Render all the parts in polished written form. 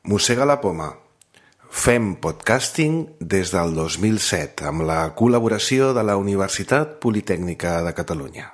Mossega la poma. Fem podcasting des del 2007 amb la col·laboració de la Universitat Politècnica de Catalunya.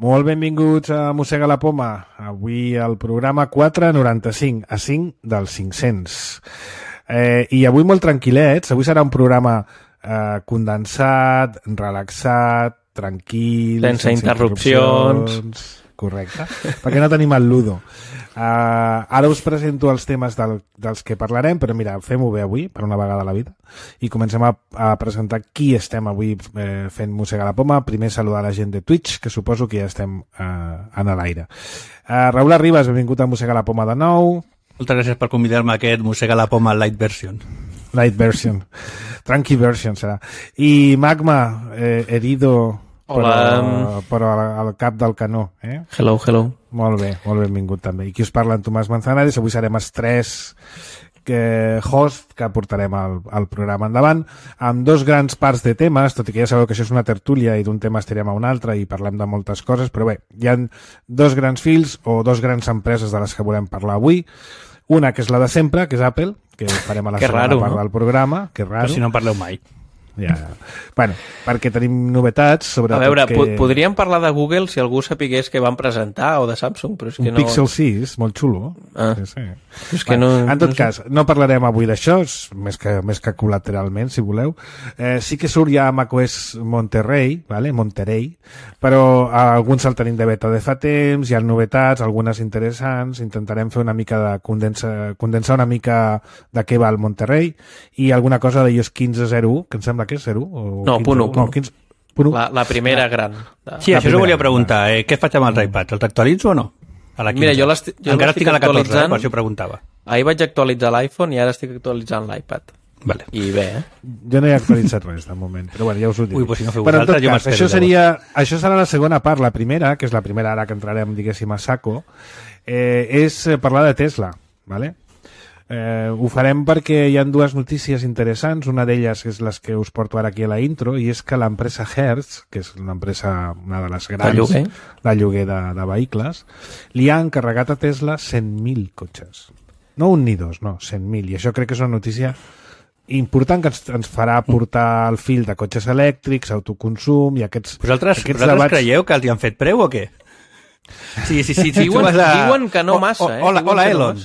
Molt benvinguts a Mossega la poma. Avui el programa 495, a 5 dels 500. I avui molt tranquil·lets. Avui serà un programa condensat, relaxat, tranquil, sense interrupcions. Correcte, perquè no tenim el Ludo. Ara us presento els temes dels que parlarem, però mira, fem-ho bé avui, per una vegada a la vida, i comencem a presentar qui estem avui fent Mossega la poma. Primer saludar la gent de Twitch, que suposo que ja estem en l'aire. Raül Arribas, benvingut a Mossega la poma de nou. Moltes gràcies per convidar-me a aquest Mossega la poma light version. Light version. Tranqui version serà. I Magma, herido... Hola. Però al cap del canó, eh? Hello, hello. Molt bé, molt benvingut també. I qui us parla, en Tomàs Manzanares. Avui serem els tres host que portarem el programa endavant, amb dos grans parts de temes, tot i que ja sabeu que això és una tertúlia i d'un tema estirem a un altre i parlem de moltes coses, però bé, hi ha dos grans fils o dos grans empreses de les que volem parlar avui. Una que és la de sempre, que és Apple, que farem a la segona part del programa. Que raro. Però si no en parleu mai. Ja. Bueno, perquè tenim novetats sobre... A veure, podríem parlar de Google si algú sapigués que van presentar, o de Samsung, però és que no... Un Pixel 6, molt xulo. Sí. És que no... En tot cas, no parlarem avui d'això, més que col·lateralment, si voleu. Sí que surt ja a macOS Monterey, però alguns el tenim de beta de fa temps, hi ha novetats, algunes interessants, intentarem fer una mica de condensar una mica de què va el Monterey, i alguna cosa d'iOS 15.01, que em sembla que és 0? No, 1. No, 15. La primera gran. Sí, això us volia preguntar. Què faig amb els iPads? Els actualitzo o no? A la 15. Mira, jo encara estic a la 14, per això preguntava. Ahir vaig actualitzar l'iPhone i ara estic actualitzant l'iPad. Vale. I bé, Jo no he actualitzat res, de moment, però bueno, ja us ho dic. Ui, pues si no feu vosaltres, jo m'espero. Això serà la segona part. La primera, que és la primera ara que entrarem, diguéssim, a saco, és parlar de Tesla, vale? Ho farem perquè hi ha dues notícies interessants. Una d'elles és les que us porto ara aquí a la intro, i és que l'empresa Hertz, que és una de les grans de lloguer de vehicles, li ha encarregat a Tesla 100.000 cotxes. No un ni dos, no, 100.000. I això crec que és una notícia important que ens farà portar el fil de cotxes elèctrics, autoconsum i aquests debats. Vosaltres creieu que els hi han fet preu o què? Sí. Diuen que no massa. Hola Elon,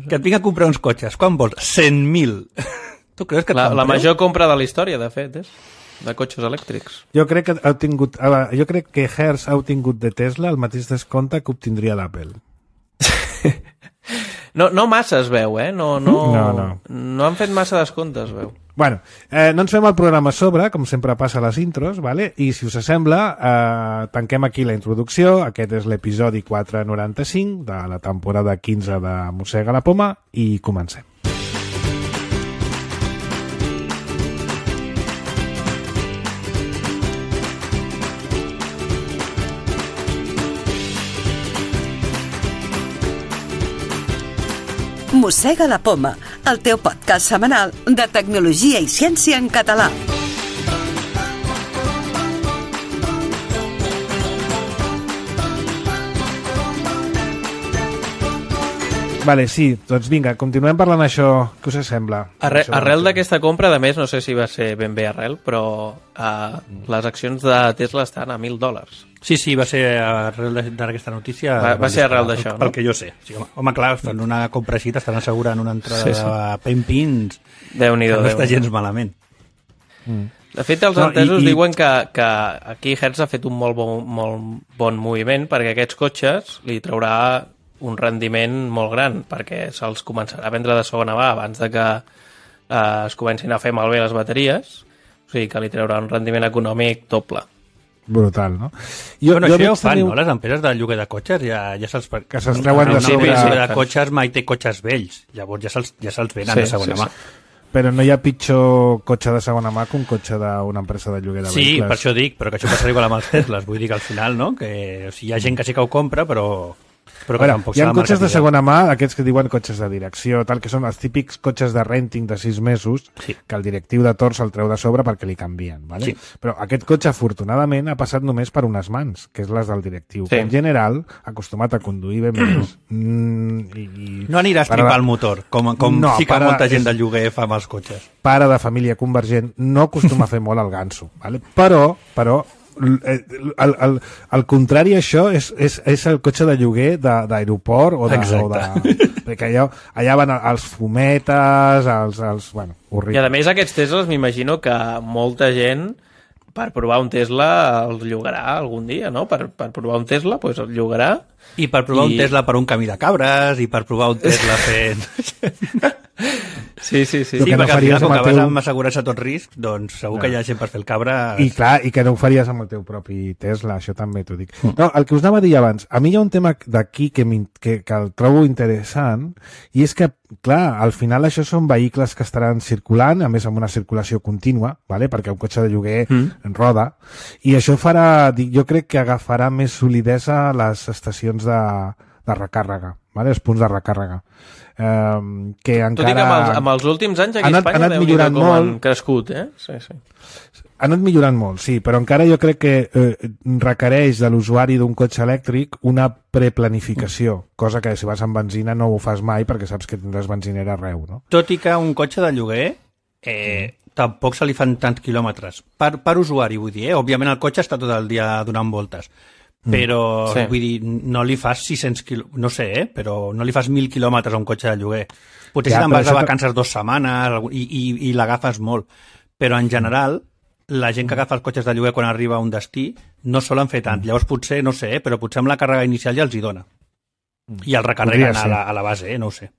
que et vinc a comprar uns cotxes. Quan vols? 100.000. Tu creus que et fan la major compra de la història, de fet, de cotxes elèctrics. Jo crec que Hertz ha obtingut de Tesla el mateix descompte que obtindria d'Apple. No massa es veu, No han fet massa descomptes, es veu. Bueno, no ens fem el programa a sobre, com sempre passa a les intros, vale? I si us sembla, tanquem aquí la introducció. Aquest és l'episodi 495 de la temporada 15 de Mossega la poma i comencem. Mossega la poma, el teu podcast setmanal de tecnologia i ciència en català. Vale, sí, doncs vinga, continuem parlant això. Què us sembla? Arrel d'aquesta compra, a més, no sé si va ser ben bé arrel, però les accions de Tesla estan a $1.000. Sí, va ser arrel d'aquesta notícia. Va ser arrel d'això, no? Pel que jo sé. Sí, home, clar, fan una compra així, t'estan assegurant una entrada de Pempins. Déu-n'hi-do. No està gens malament. De fet, els entesos diuen que aquí Hertz ha fet un molt bon moviment, perquè aquests cotxes li traurà un rendiment molt gran, perquè se'ls començarà a vendre de segona mà abans de que es comencin a fer malbé les bateries, o sigui que li traurà un rendiment econòmic doble. Brutal, no? Això ja ho fan, no? Les empreses de lloguer de cotxes ja se'ls... Que se'ls treuen de sobre... Una empresa de cotxes mai té cotxes vells, llavors ja se'ls venen de segona mà. Però no hi ha pitjor cotxe de segona mà que un cotxe d'una empresa de lloguer de vehicles. Sí, per això dic, però que això passarà igual amb els Teslas. Vull dir que al final, no? Que hi ha gent que sí que ho compra, però Però que tampoc hi ha serà cotxes de marca segona mà, aquests que diuen cotxes de direcció, tal, que són els típics cotxes de renting de 6 mesos, que el directiu de Tor se'l treu de sobre perquè li canvien, ¿vale? Però aquest cotxe, afortunadament, ha passat només per unes mans, que és les del directiu, que en general, acostumat a conduir bé més... no anirà a estripar el motor, com no, sí que molta gent de lloguer fa amb els cotxes. Pare de família convergent no acostuma a fer molt el ganso, ¿vale? Però al contrari a això és el cotxe de lloguer d'aeroport o de perquè allà van els fumetes bueno, horrible. I a més aquests Teslas m'imagino que molta gent per provar un Tesla el llogarà algun dia, no? Per provar un Tesla pues el llogarà i per provar un Tesla per un camí de cabres i per provar un Tesla fent... Sí, perquè al final, com que vas amb assegurar-se tot risc, doncs segur que hi ha gent per fer el cabra... I clar, i que no ho faries amb el teu propi Tesla, això també t'ho dic. No, el que us anava a dir abans, a mi hi ha un tema d'aquí que el trobo interessant, i és que, clar, al final això són vehicles que estaran circulant, a més amb una circulació contínua, ¿vale? Perquè un cotxe de lloguer roda, i això farà, jo crec que agafarà més solidesa les estacions de recàrrega, ¿vale? Els punts de recàrrega. Que encara... Tot i que amb els últims anys aquí a Espanya Déu-n'hi-do com han crescut, Sí. Ha anat millorant molt, sí, però encara jo crec que requereix de l'usuari d'un cotxe elèctric una preplanificació, cosa que si vas amb benzina no ho fas mai perquè saps que tindràs benzinera arreu, no? Tot i que un cotxe de lloguer tampoc se li fan tants quilòmetres. Per usuari, vull dir, Òbviament el cotxe està tot el dia donant voltes, però vull dir, no li fas 600 quilòmetres, no sé, però no li fas 1.000 quilòmetres a un cotxe de lloguer. Potser si te'n vas de vacances 2 setmanes i l'agafes molt, però en general la gent que agafa els cotxes de lloguer quan arriba a un destí no solen fer tant. Llavors potser, no sé, però potser amb la càrrega inicial ja els hi dona. I el recarreguen a la base, no ho sé.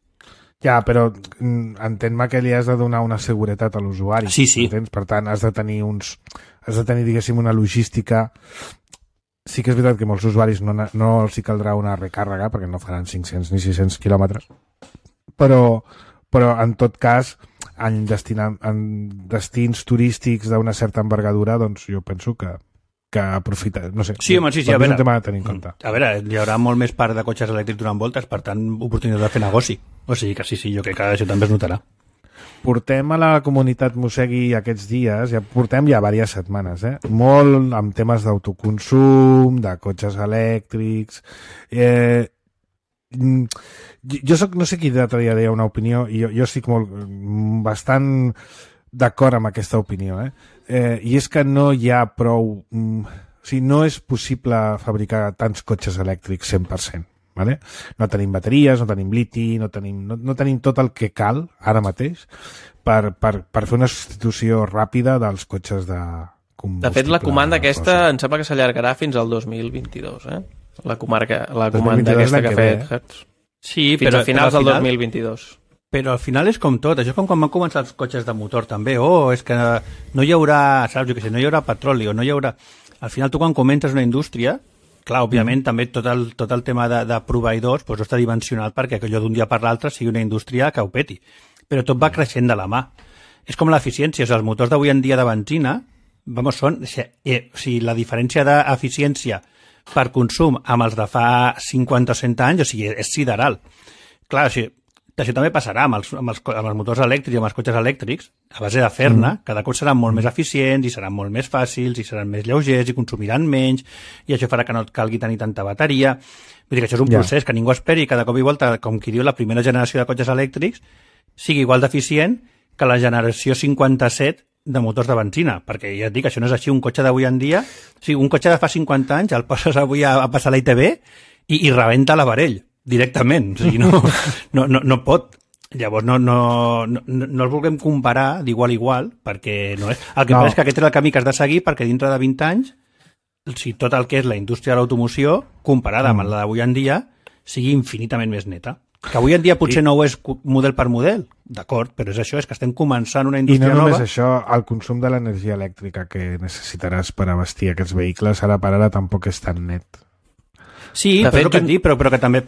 Ja, però entén-me que li has de donar una seguretat a l'usuari. Sí. Entens? Per tant, has de tenir, diguéssim, una logística. Sí que és veritat que molts usuaris no els hi caldrà una recàrrega perquè no faran 500 ni 600 quilòmetres, però en tot cas en destins turístics d'una certa envergadura, doncs jo penso que aprofita, no sé, sí, a veure, és un tema a tenir en compte. A veure, hi haurà molt més part de cotxes elèctrics donant voltes, per tant, oportunitat de fer negoci. O sigui que sí, jo crec que això també es notarà. Portem a la comunitat Mossegui aquests dies, portem ja diverses setmanes, molt amb temes d'autoconsum, de cotxes elèctrics... Jo no sé qui l'altre dia deia una opinió, i jo estic bastant d'acord amb aquesta opinió, i és que no hi ha prou... O sigui, no és possible fabricar tants cotxes elèctrics 100%. Vale? No tenim bateries, no tenim liti, no tenim tot el que cal ara mateix per fer una substitució ràpida dels cotxes de combustible. De fet, la comanda aquesta em sembla que s'allargarà fins al 2022, La comanda aquesta que ha fet Hertz. Sí, fins a finals del 2022. Però al final és com tot, això és com quan van començar els cotxes de motor també, és que no hi haurà, saps, jo què sé, no hi haurà petroli, o no hi haurà... Al final tu quan comences una indústria, clar, òbviament també tot el tema de proveïdors no està dimensionat perquè allò d'un dia per l'altre sigui una indústria que ho peti, però tot va creixent de la mà. És com l'eficiència, els motors d'avui en dia de benzina, són, la diferència d'eficiència per consum amb els de fa 50 o 100 anys, és sideral. Clar, això també passarà amb els motors elèctrics i amb els cotxes elèctrics, a base de fer-ne, cada cop seran molt més eficients i seran molt més fàcils i seran més lleugers i consumiran menys i això farà que no et calgui tenir tanta bateria. Vull dir que això és un procés que ningú esperi i cada cop i volta, com qui diu, la primera generació de cotxes elèctrics sigui igual d'eficient que la generació 57 de motors de benzina, perquè ja et dic, això no és així. Un cotxe d'avui en dia, un cotxe de fa 50 anys el poses avui a passar la ITV i rebenta l'aparell directament, o sigui, no pot. Llavors no els vulguem comparar d'igual a igual, perquè no és. El que passa és que aquest és el camí que has de seguir perquè dintre de 20 anys, tot el que és la indústria de l'automoció, comparada amb la d'avui en dia, sigui infinitament més neta. Que avui en dia potser no ho és model per model, d'acord, però és això, és que estem començant una indústria nova. I no només això, el consum de l'energia elèctrica que necessitaràs per abastir aquests vehicles, ara per ara tampoc és tan net. Sí, però és el que et dic, però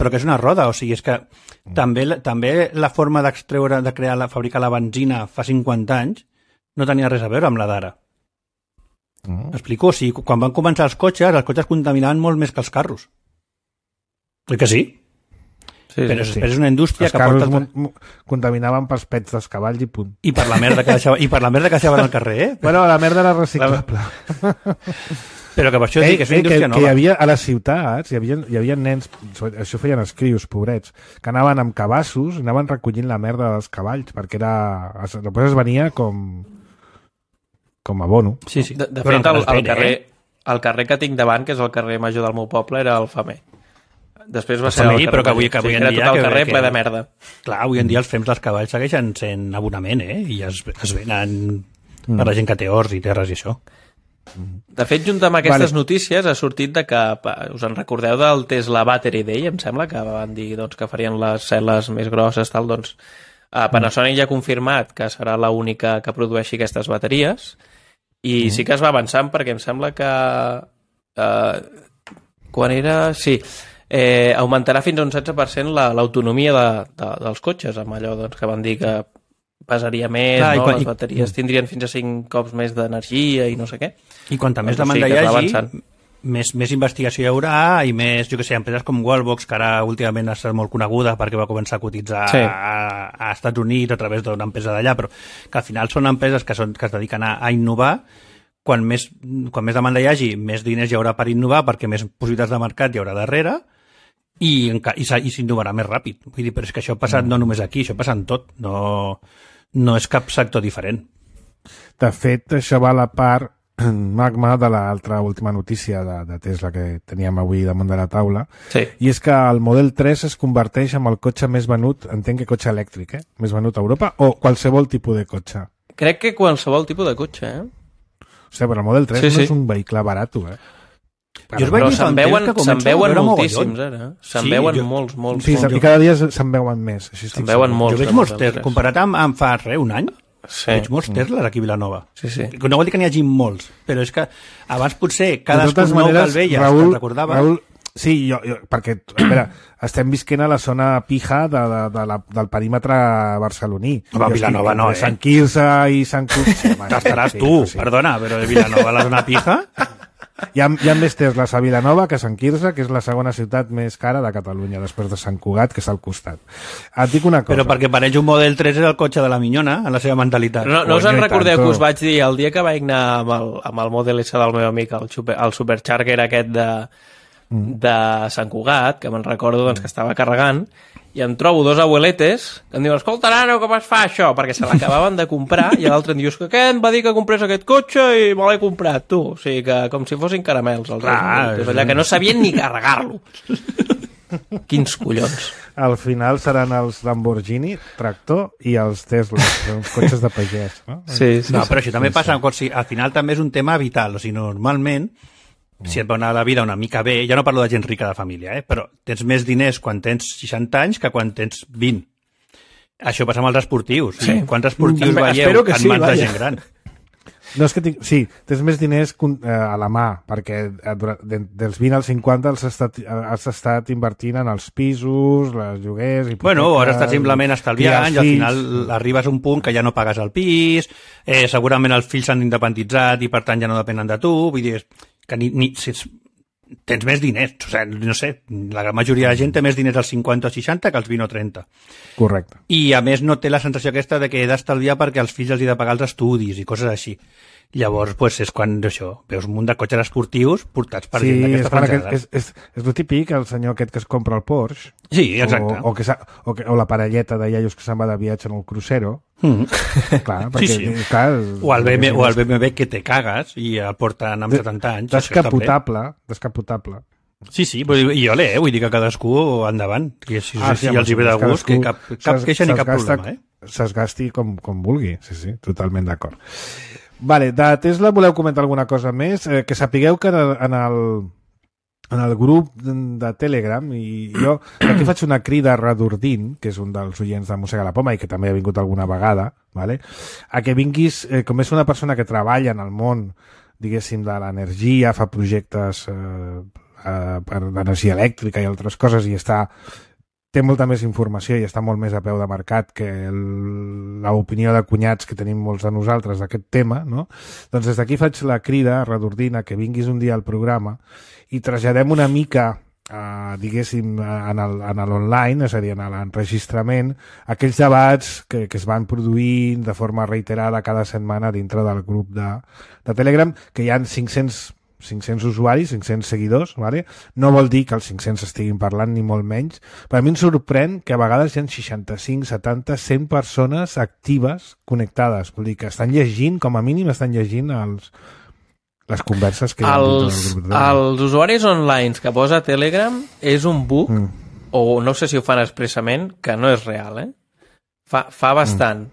que és una roda, o sigui, és que també la forma d'extreure, de fabricar la benzina fa 50 anys no tenia res a veure amb la d'ara. Explico? O sigui, quan van començar els cotxes contaminaven molt més que els carros. Oi que sí? Sí, però sí. després és una indústria Els que porta... carros contaminaven pels pets dels cavalls i punt. I per la merda que deixaven al carrer, eh? Bueno, la merda era reciclable. Però que per això dic que és una indústria que nova. hi havia a les ciutats, hi havia nens, això feien els crios, pobrets, que anaven amb cabassos i anaven recollint la merda dels cavalls, perquè després es venia com abono. Sí. De fet, el carrer que tinc davant, que és el carrer major del meu poble, era el Femer. Després va ser el carrer però que avui major. en dia... Era tot el carrer ple de merda. Clar, avui en dia els fems dels cavalls segueixen sent abonament, I es venen per la gent que té horts i terres i això. De fet, junt amb aquestes notícies ha sortit de que, us en recordeu del Tesla Battery Day, em sembla, que van dir doncs, que farien les cel·les més grosses, tal, doncs Panasonic ja ha confirmat que serà l'única que produeixi aquestes bateries i sí que es va avançant perquè em sembla que quan era... Sí, augmentarà fins a un 16% l'autonomia dels cotxes, amb allò doncs, que van dir que pesaria més, les bateries tindrien fins a 5 cops més d'energia i no sé què. I quanta més demanda hi hagi, més investigació hi haurà i més, jo que sé, empreses com Wallbox, que ara últimament ha estat molt coneguda perquè va començar a cotitzar a Estats Units a través d'una empresa d'allà, però que al final són empreses que es dediquen a innovar. Quan més demanda hi hagi, més diners hi haurà per innovar perquè més possibilitats de mercat hi haurà darrere i s'innovarà més ràpid. Vull dir, però és que això ha passat no només aquí, això passa en tot, no és cap sector diferent. De fet, això va a la part magma de l'altra última notícia de Tesla que teníem avui damunt de la taula, i és que el Model 3 es converteix en el cotxe més venut, entenc que cotxe elèctric, més venut a Europa, o qualsevol tipus de cotxe? Crec que qualsevol tipus de cotxe, Hòstia, però el Model 3 no és un vehicle barat, Però se'n veuen moltíssims, ara. Se'n veuen molts. Sí, i cada dia se'n veuen més. Se'n veuen molts. Jo veig molts Tesla, comparat amb fa un any, veig molts Tesla aquí a Vilanova. No vol dir que n'hi hagi molts, però és que abans potser cadascun nou que el veies, que et recordava... Raül, sí, jo, perquè, a veure, estem visquent a la zona pija del perímetre barceloní. A Vilanova no, Sant Quirze i Sant Cugat... Estaràs tu, perdona, però de Vilanova a la zona pija... Hi ha més Teslas a Vilanova que a Sant Quirze, que és la segona ciutat més cara de Catalunya, després de Sant Cugat, que és al costat. Et dic una cosa. Però perquè per ells un Model 3 és el cotxe de la minyona, en la seva mentalitat. No us en recordeu que us vaig dir el dia que vaig anar amb el Model S del meu amic, el Supercharger aquest de Sant Cugat, que me'n recordo doncs, que estava carregant, i em trobo dos abueletes que em diuen, escolta, nano, com es fa això? Perquè se l'acabaven de comprar i l'altre em dius que què em va dir que comprés aquest cotxe i me l'he comprat, tu. O sigui que com si fossin caramels. Allà que no sabien ni carregar-lo. Quins collons. Al final seran els Lamborghini, tractor i els Tesla, els cotxes de pagès. No? Però això també passa, al final també és un tema vital. O sigui, normalment, si et va anar la vida una mica bé, ja no parlo de gent rica de família, però tens més diners quan tens 60 anys que quan tens 20. Això passa amb els esportius. Quants esportius veieu en mans de gent gran? No, és que tens més diners a la mà, perquè dels 20 als 50 has estat invertint en els pisos, les lloguers... Bueno, ara estàs simplement estalviant i al final arribes a un punt que ja no pagues el pis, segurament els fills s'han independitzat i per tant ja no depenen de tu, vull dir... que tens més diners, o sigui, no sé, la gran majoria de gent té més diners als 50 o 60 que als 20 o 30. Correcte. I a més no té la sensació aquesta de que he d'estalviar perquè els fills els he de pagar els estudis i coses així. Llavors, pues, és quan això, veus un munt de cotxes esportius portats per gent d'aquesta franjada. És el típic, el senyor aquest que es compra el Porsche. Sí, exacte. O la parelleta de iaios que se'n va de viatge en el crucero. Clar, perquè, clar, o el BMW que te cagues i el porten amb 70 anys. Descapotable. Sí, i ole, vull dir que cadascú endavant. Si els hi ve de gust, que cap queixa ni cap problema. S'esgasti com vulgui, sí, totalment d'acord. Vale, de Tesla voleu comentar alguna cosa més? Que sapigueu que en el grup de Telegram, i jo aquí faig una crida a Radurdin, que és un dels oients de Mossega la Poma i que també ha vingut alguna vegada, vale? A que vinguis, com és una persona que treballa en el món, diguéssim, de l'energia, fa projectes per l'energia elèctrica i altres coses, i té molta més informació i està molt més a peu de mercat que l'opinió de cunyats que tenim molts de nosaltres d'aquest tema, no? Doncs des d'aquí faig la crida a Radurdin a que vinguis un dia al programa i traslladem una mica diguéssim, en l'online, és a dir, en l'enregistrament, aquells debats que es van produir de forma reiterada cada setmana dintre del grup de Telegram, que hi ha 500 usuaris, 500 seguidors, ¿vale? No vol dir que els 500 estiguin parlant ni molt menys, però a mi em sorprèn que a vegades hi ha 65, 70, 100 persones actives connectades, vol dir que estan llegint, com a mínim estan llegint les converses que hi ha els usuaris online que posa Telegram és un bug, o no sé si ho fan expressament, que no és real, fa bastant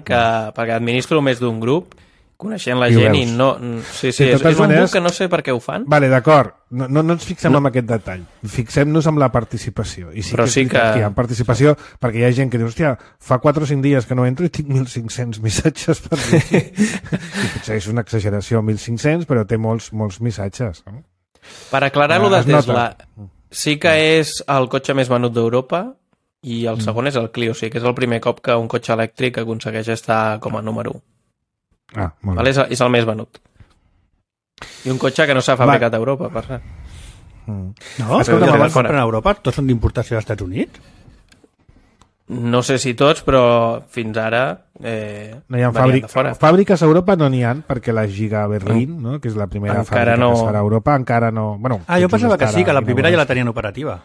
que, perquè administro més d'un grup, coneixent la gent i no... Sí, és un bug que no sé per què ho fan. Vale, d'acord, no ens fixem en aquest detall, fixem-nos en la participació. I sí, que hi ha participació, perquè hi ha gent que diu, hòstia, fa 4 o 5 dies que no entro i tinc 1.500 missatges per dir. I potser és una exageració, 1.500, però té molts missatges. No? Per aclarar-lo de Tesla, sí que és el cotxe més venut d'Europa i el segon és el Clio, sí, que és el primer cop que un cotxe elèctric aconsegueix estar com a número 1. Molt bé. És el més venut. I un cotxe que no s'ha fabricat a Europa, per cert. No? Escolta, abans compren a Europa? Tots són d'importació als Estats Units? No sé si tots, però fins ara no hi ha fàbriques a Europa no n'hi ha, perquè la Giga Berlín, no? Que és la primera fàbrica que es farà a Europa, encara no... Bueno, jo pensava que sí, que la primera ja la tenien operativa.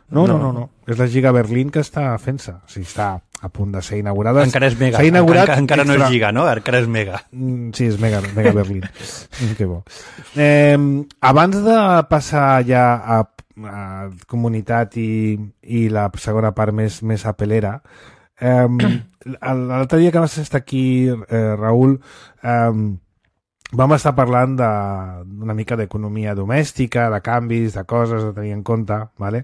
No. És la Giga Berlín que està fent-se. O sigui, està a punt de ser inaugurada. Encara és mega. Encara no és Giga, no? Encara és mega. Sí, és mega Berlín. Que bo. Abans de passar ja a comunitat i la segona part més apelera, l'altre dia que vas estar aquí, Raül, vam estar parlant d'una mica d'economia domèstica, de canvis, de coses a tenir en compte, ¿vale?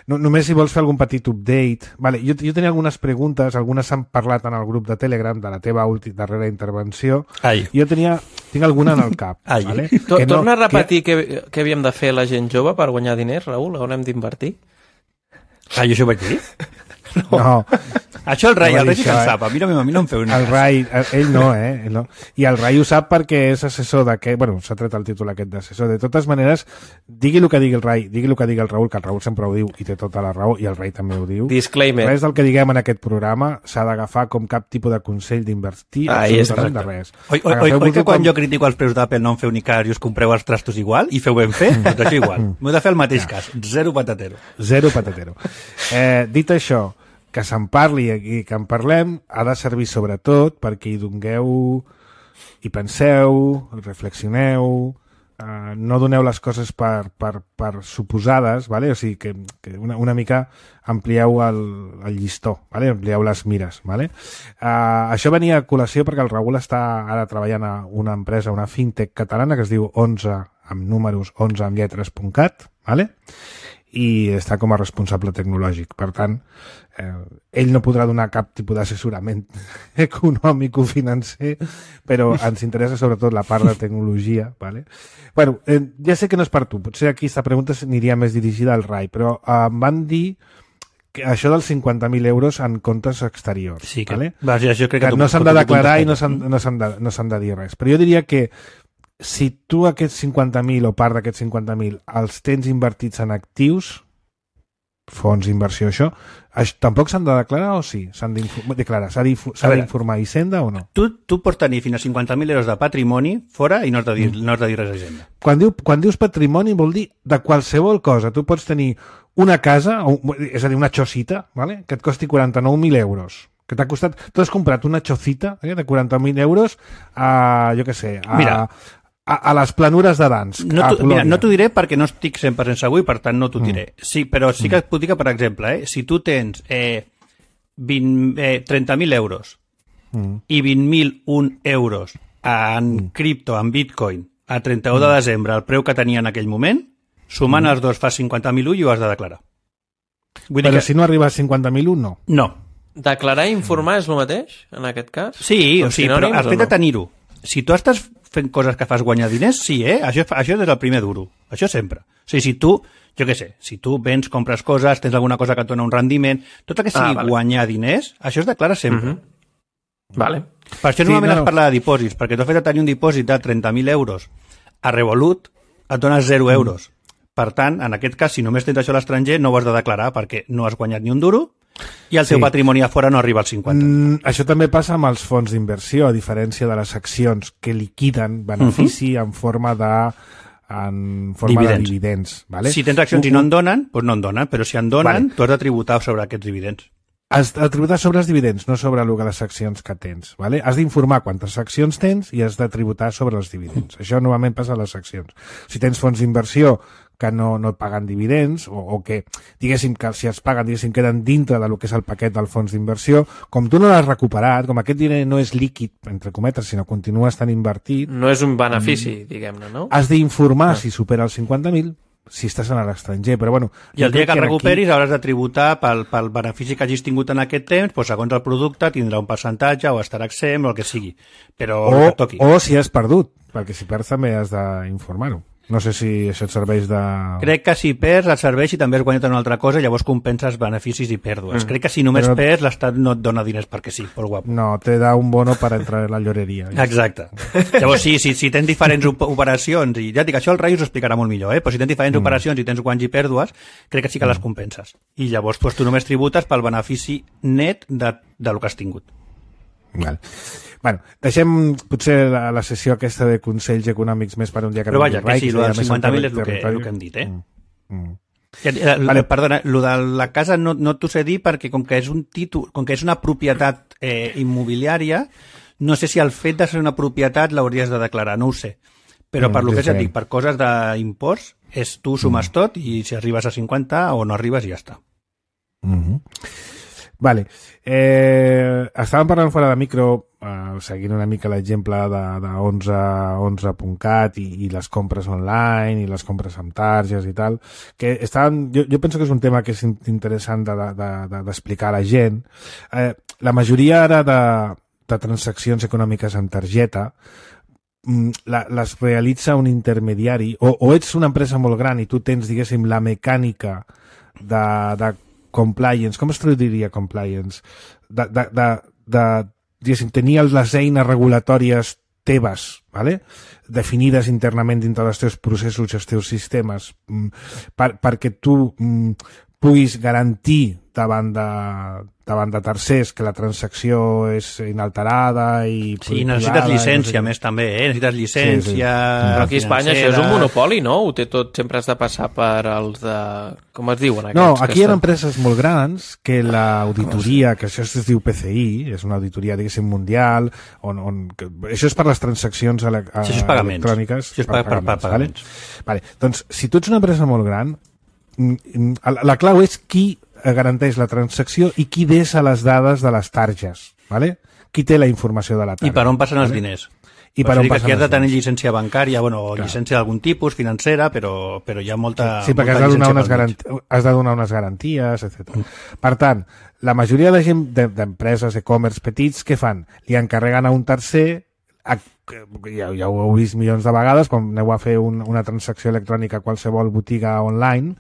Només si vols fer algun petit update. Vale, jo tenia algunes preguntes, algunes s'han parlat en el grup de Telegram de la teva darrera intervenció. Jo tinc alguna en el cap. Vale? Torna a repetir què havíem de fer la gent jove per guanyar diners, Raül? On hem d'invertir? Jo això ho vaig dir? No. Això el Rai sí que en sap. A mi no em feu el Rai, ell no, ell no. I el Rai ho sap perquè és assessor d'aquest... Bueno, s'ha tret el títol aquest d'assessor. De totes maneres, digui el que digui el Rai, digui el que digui el Raül, que el Raül sempre ho diu i té tota la raó, i el Rai també ho diu. Disclaimer. Res del que diguem en aquest programa s'ha d'agafar com cap tipus de consell d'invertir absolutament de res. Oi que quan jo critico els preus d'Apple no en feu ni cas i us compreu els trastos igual i feu ben fer? Doncs això igual. M'ho he de fer el mateix cas. Zero patatero. Dit això, que se'n parli i que en parlem ha de servir sobretot perquè hi dongueu, hi penseu, reflexioneu, no doneu les coses per suposades, ¿vale? O sigui que una mica amplieu el llistó, ¿vale? Amplieu les mires. ¿Vale? Això venia a col·lació perquè el Raül està ara treballant a una empresa, una fintech catalana que es diu 11 amb números, 11 amb lletres.cat, ¿vale? I està com a responsable tecnològic. Per tant, ell no podrà donar cap tipus d'assessorament econòmic o financer, però ens interessa sobretot la part de tecnologia. ¿Vale? Bueno, ja sé que no és per tu, potser aquí aquesta pregunta aniria més dirigida al Rai, però em van dir que això dels 50.000 euros en comptes exteriors. Sí, que, ¿vale? jo crec que no s'han de declarar i no s'han de dir res. Però jo diria que si tu aquests 50.000 o part d'aquests 50.000 els tens invertits en actius, fons d'inversió, això, tampoc s'han de declarar o sí? S'han d'informar a Hisenda o no? Tu pots tenir fins a 50.000 euros de patrimoni fora i no has de dir res a Hisenda. Quan dius patrimoni vol dir de qualsevol cosa. Tu pots tenir una casa, és a dir, una xocita, ¿vale? Que et costi 49.000 euros. Que t'ha costat... Tu has comprat una xocita de 40.000 euros a, jo què sé, a les planures de Dansk. No t'ho diré perquè no estic 100% segur i per tant no t'ho diré. Sí, però sí que et puc dir que, per exemple, si tu tens 30.000 euros i 20.001 euros en cripto, en bitcoin, a 31 de desembre, el preu que tenia en aquell moment, sumant els dos fa 50.001 i ho has de declarar. Però si no arriba a 50.001, no? No. Declarar i informar és el mateix, en aquest cas? Sí, però el fet de tenir-ho. Si tu estàs fent coses que fas guanyar diners, sí, Això és el primer duro. Això sempre. O sigui, si tu, jo què sé, si tu vens, compres coses, tens alguna cosa que et dona un rendiment, tot el que sigui guanyar diners, això es declara sempre. Vale. Per això normalment es parla de dipòsits, perquè tu has fet tenir un dipòsit de 30.000 euros a Revolut, et dones 0 euros. Per tant, en aquest cas, si només tens això a l'estranger, no ho has de declarar perquè no has guanyat ni un duro i el teu patrimoni a fora no arriba als 50. Això també passa amb els fons d'inversió, a diferència de les accions que liquiden benefici en forma de dividends. Vale? Si tens accions i no en donen, doncs no en donen, però si en donen, tu has de tributar sobre aquests dividends. Has de tributar sobre els dividends, no sobre les accions que tens. Vale? Has d'informar quantes accions tens i has de tributar sobre els dividends. Això normalment passa a les accions. Si tens fons d'inversió que no et paguen dividends o que, diguéssim, que si els paguen, diguéssim, queden dintre del que és el paquet del fons d'inversió, com tu no l'has recuperat, com aquest diner no és líquid, entre cometes, sinó continua estant invertit... No és un benefici, diguem-ne, no? Has d'informar si supera els 50.000, si estàs a l'estranger, però bueno... I el dia que el recuperis hauràs de tributar pel benefici que hagis tingut en aquest temps, doncs segons el producte tindrà un percentatge o estarà exempt o el que sigui, però el que toqui. O si has perdut, perquè si perds també has d'informar-ho. No sé si això et serveix de... Crec que si perds et serveix i també has guanyat una altra cosa, llavors compenses beneficis i pèrdues. Crec que si només perds, l'Estat no et dona diners perquè sí, por guapo. No, te da un bono per entrar en la lloreria. Exacte. Llavors si tens diferents operacions, i ja et dic, això el Rai us ho explicarà molt millor, però si tens diferents operacions i tens guanys i pèrdues, crec que sí que les compenses. I llavors tu només tributes pel benefici net del que has tingut. Val. Bueno, deixem potser la sessió aquesta de consells econòmics més per un dia que... Però vaja, que sí, el dels 50.000 és el que hem dit, Vale. Perdona, el de la casa no t'ho sé dir perquè com que és un títol, com que és una propietat immobiliària, no sé si el fet de ser una propietat l'hauries de declarar, no ho sé. Però per lo que ja et dic, per coses d'impost, tu sumes tot i si arribes a 50 o no arribes ja està. Vale. Estàvem parlant fora de micro, seguint una mica l'exemple de 11.cat i les compres online i les compres amb targes i tal, que jo penso que és un tema que és interessant d'explicar a la gent. La majoria ara de transaccions econòmiques amb targeta les realitza un intermediari, o ets una empresa molt gran i tu tens, diguéssim, la mecànica de compliance, com es traduiria compliance? Diguéssim, tenir les eines regulatòries teves, ¿vale? Definides internament dintre dels teus processos i els teus sistemes, perquè tu puguis garantir davant de tercers que la transacció és inalterada i... Sí, necessites llicència, més també, necessites llicència... Però aquí a Espanya això és un monopoli, no? Ho té tot, sempre has de passar per els de... Com es diuen aquests? No, aquí hi ha empreses molt grans que l'auditoria, que això es diu PCI, és una auditoria, diguéssim, mundial, això és per les transaccions electròniques. Això és per pagaments. Vale. Doncs, si tu ets una empresa molt gran, la clau és qui garanteix la transacció i qui deixa les dades de les targes, ¿vale? Qui té la informació de la tarja. I per on passen els diners? I per on passen aquí has de tenir llicència bancària, o llicència d'algun tipus, financera, però hi ha molta... Sí, perquè has de donar unes garanties, etc. Per tant, la majoria de gent d'empreses, e-commerce petits, què fan? Li encarreguen a un tercer, ja ho heu vist milions de vegades, quan aneu a fer una transacció electrònica a qualsevol botiga online,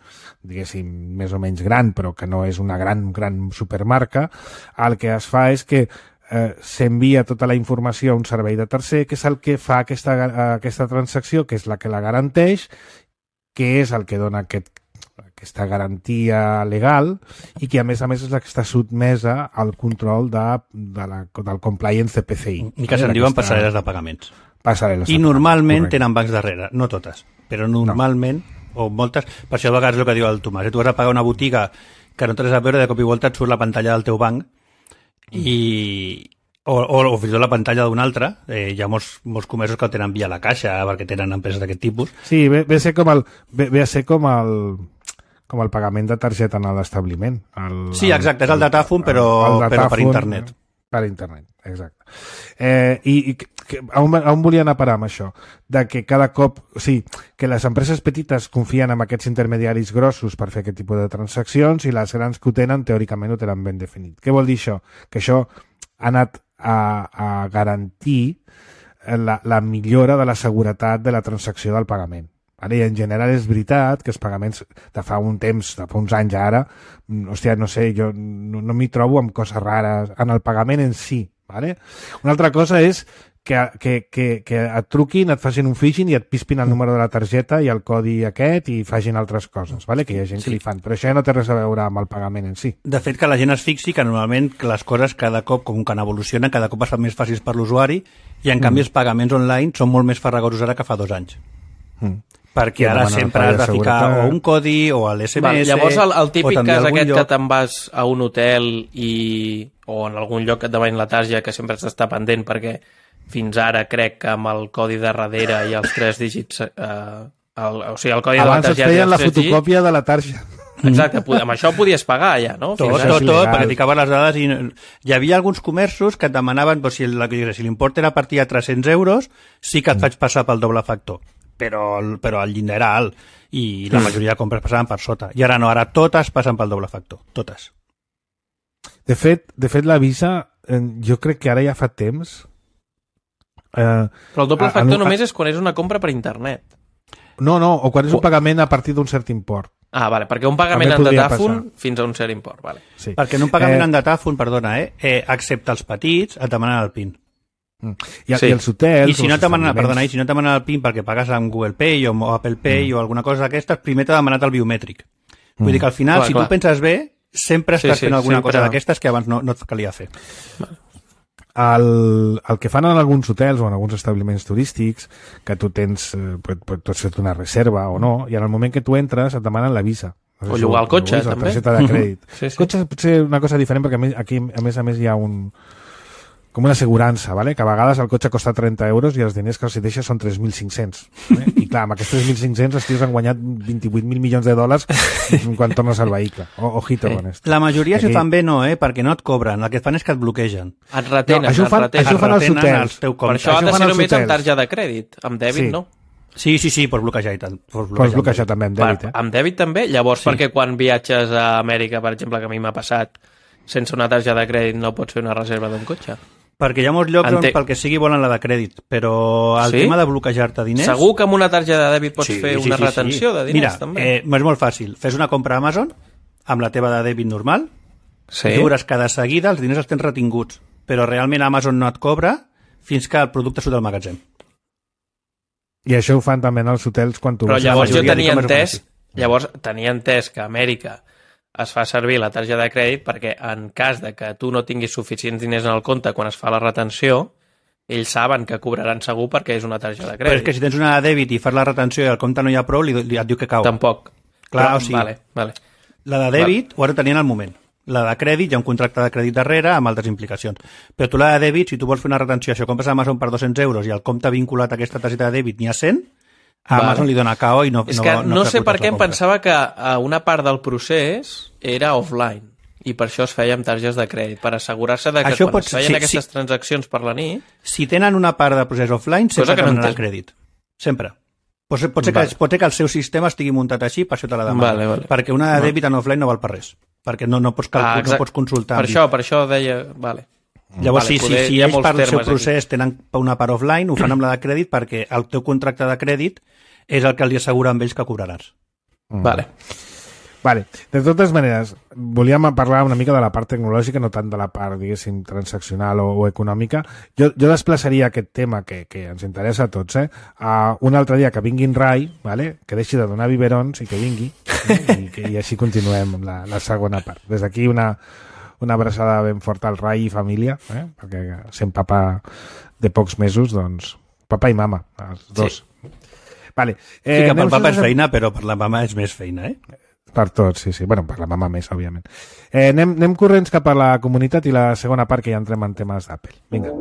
diguéssim, més o menys gran, però que no és una gran supermarca, el que es fa és que s'envia tota la informació a un servei de tercer, que és el que fa aquesta transacció, que és la que la garanteix, que és el que dona aquesta garantia legal i que a més és la que està sotmesa al control del compliance de PCI. I que se'n diuen passarel·les de pagaments. I normalment tenen bancs darrere, no totes, però normalment, o moltes, per això a vegades és el que diu el Tomàs, tu vas a pagar una botiga que no tens a veure, de cop i volta et surt la pantalla del teu banc o fins i tot la pantalla d'un altre. Hi ha molts comerços que el tenen via la caixa perquè tenen empreses d'aquest tipus. Sí, ve a ser com el pagament de targeta en l'establiment. Sí, exacte, és el datàfon però per internet. Per internet, exacte. On volia anar a parar amb això? De que cada cop, que les empreses petites confien en aquests intermediaris grossos per fer aquest tipus de transaccions i les grans que ho tenen, teòricament ho tenen ben definit. Què vol dir això? Que això ha anat a garantir la millora de la seguretat de la transacció del pagament. I en general és veritat que els pagaments de fa un temps, de fa uns anys ara, hòstia, no sé, jo no m'hi trobo amb coses rares en el pagament en si. Una altra cosa és que et truquin, et facin un phishing i et pispin el número de la targeta i el codi aquest i facin altres coses, vale? Que hi ha gent que li fan. Però això ja no té res a veure amb el pagament en si. De fet, que la gent es fixi que normalment les coses cada cop, com que evolucionen, cada cop es fan més fàcils per l'usuari i en canvi els pagaments online són molt més farragosos ara que fa 2 anys. Perquè ara sempre has de ficar o un codi o l'SMS... Vale, llavors el típic cas aquest que te'n vas a un hotel o en algun lloc que et demanin la tarja que sempre has d'estar pendent perquè fins ara crec que amb el codi de darrere i els 3 dígits... o sigui, el codi abans de la targeta... Abans et feien la fotocòpia de la tarja. Exacte, amb això podies pagar ja, no? Tot, perquè ficaven les dades i... Hi havia alguns comerços que et demanaven, si l'import era a partir de 300 euros, sí que et faig passar pel doble factor. Però el llindar era alt i la majoria de compres passaven per sota. I ara no, ara totes passen pel doble factor. Totes. De fet la Visa, jo crec que ara ja fa temps... Però el doble factor només és quan és una compra per internet. No, o quan és un pagament a partir d'un cert import. Ah, vale, perquè un pagament en datàfon fins a un cert import, vale. Sí. Perquè en un pagament en datàfon, perdona, excepte els petits, et demanen el PIN. I els hotels... I si no et demanen el PIN perquè pagues amb Google Pay o Apple Pay o alguna cosa d'aquestes, primer t'ha demanat el biomètric. Vull dir que al final, si tu penses bé, sempre estàs fent alguna cosa d'aquestes que abans no et calia fer. El que fan en alguns hotels o en alguns establiments turístics, que tu tens, pots fer una reserva o no, i en el moment que tu entres et demanen la Visa. O llogar el cotxe, també. La targeta de crèdit. Sí. El cotxe pot ser una cosa diferent perquè aquí, a més hi ha com una assegurança, ¿vale? Que a vegades el cotxe costa 30 euros i els diners que els deixes són 3.500. ¿vale? I clar, amb aquests 3.500 els tios han guanyat 28.000 milions de dòlars quan tornes al vehicle. Ojito con esto. La majoria si fan bé no, perquè no et cobren. El que fan és que et bloquegen. Et retenen, això fan els hotels. Per això ha de ser només amb targeta de crèdit. Amb dèbit no. Sí, pots bloquejar i tant. Pots bloquejar també amb dèbit. Amb dèbit també? Llavors, perquè quan viatges a Amèrica, per exemple, que a mi m'ha passat, sense una targeta de crèdit no pots fer una reserva d'un cotxe? Perquè hi ha molts llocs on pel que sigui volen la de crèdit, però el tema de bloquejar-te diners... Segur que amb una targeta de dèbit pots fer una retenció de diners, també? Mira, és molt fàcil. Fes una compra a Amazon amb la teva de dèbit normal, dures que de seguida els diners els tens retinguts, però realment Amazon no et cobra fins que el producte surt del magatzem. I això ho fan també en els hotels quan tu... Però llavors jo tenia entès que a Amèrica es fa servir la targeta de crèdit perquè en cas de que tu no tinguis suficients diners en el compte quan es fa la retenció, ells saben que cobraran segur perquè és una targeta de crèdit. Però és que si tens una de dèbit i fas la retenció i al compte no hi ha prou, et diu que cau. Tampoc. Clar, o sigui, vale. La de dèbit ho has de tenir en el moment. La de crèdit, hi ha un contracte de crèdit darrere amb altres implicacions. Però tu la de dèbit, si tu vols fer una retenció, això compres a Amazon per 200 euros i el compte vinculat a aquesta targeta de dèbit n'hi ha 100, a Amazon li dona KO i no... És que no sé per què em pensava que una part del procés era offline i per això es feia amb targetes de crèdit, per assegurar-se de que quan es feien aquestes transaccions per la nit... Si tenen una part del procés offline, sempre donaran crèdit. Sempre. Pot ser que el seu sistema estigui muntat així, per això te la demana. Perquè una de dèbit en offline no val per res. Perquè no pots consultar. Per això deia... Vale. Llavors, si ells part del seu procés tenen una part offline, ho fan amb la de crèdit perquè el teu contracte de crèdit és el que els assegura amb ells que cobraràs. Vale. De totes maneres, volíem parlar una mica de la part tecnològica, no tant de la part, diguéssim, transaccional o econòmica. Jo desplaçaria aquest tema que ens interessa a tots, a un altre dia que vingui en Rai, vale? Que deixi de donar biberons i que vingui, i així continuem amb la segona part. Des d'aquí una abraçada ben forta al Rai i família, perquè sent papa de pocs mesos, doncs, papa i mama, els dos. Sí. Vale. Sí, que pel papa és feina, però per la mama és més feina, Per tots, sí. Bueno, per la mama més, òbviament. Anem corrents cap a la comunitat i la segona part que ja entrem en temes d'Apple. Vinga.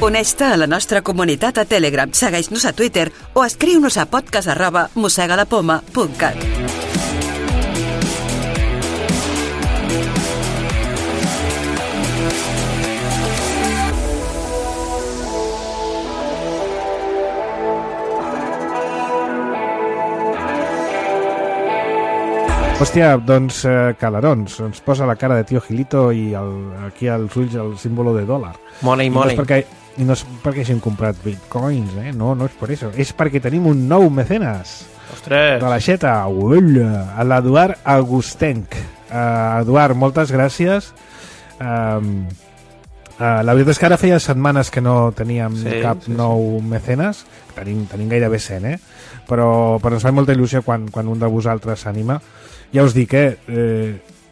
Uneix-te a la nostra comunitat a Telegram, segueix-nos a Twitter o escriu-nos a podcast@mossegalapoma.cat. Hòstia, doncs calarons, ens posa la cara de Tio Gilito i aquí als ulls el símbolo de dòlar. Money. I no és perquè hagin comprat bitcoins, no és per això. És perquè tenim un nou mecenes. Ostres! De l'aixeta, l'Eduard Agustenc. Eduard, moltes gràcies. La veritat és que ara feia setmanes que no teníem cap nou mecenes. Tenim gairebé 100, però ens fa molta il·lusió quan un de vosaltres s'anima. Ja us dic,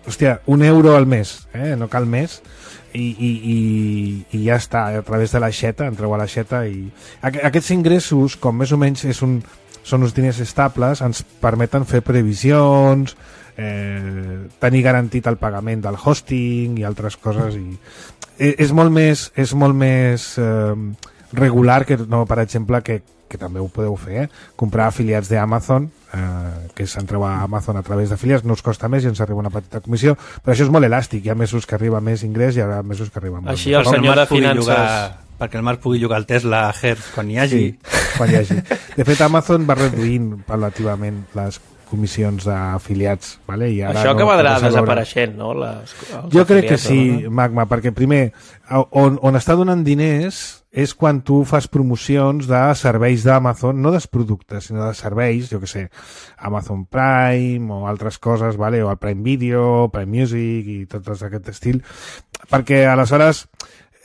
hòstia, €1 al mes, no cal més, i ja està, a través de l'aixeta, entreu a l'aixeta i... Aquests ingressos, com més o menys són uns diners estables, ens permeten fer previsions, tenir garantit el pagament del hosting i altres coses, i és molt més regular que, no, per exemple, que també ho podeu fer, comprar afiliats d'Amazon, que s'entreu a Amazon a través d'afiliats, no us costa més i ens arriba una petita comissió, però això és molt elàstic, hi ha mesos que arriba més ingrés i hi ha mesos que arriba molt. Així el senyor de finances... Perquè el Marc pugui llogar el Tesla a Hertz quan hi hagi. Sí, quan hi hagi. De fet, Amazon va reduint relativament les comissions d'afiliats, vale? I ara això acabarà desapareixent, no? Jo crec que sí, Magma, perquè primer, on està donant diners és quan tu fas promocions de serveis d'Amazon, no dels productes, sinó de serveis, jo que sé, Amazon Prime o altres coses, vale? O el Prime Video, Prime Music i tot aquest estil, perquè aleshores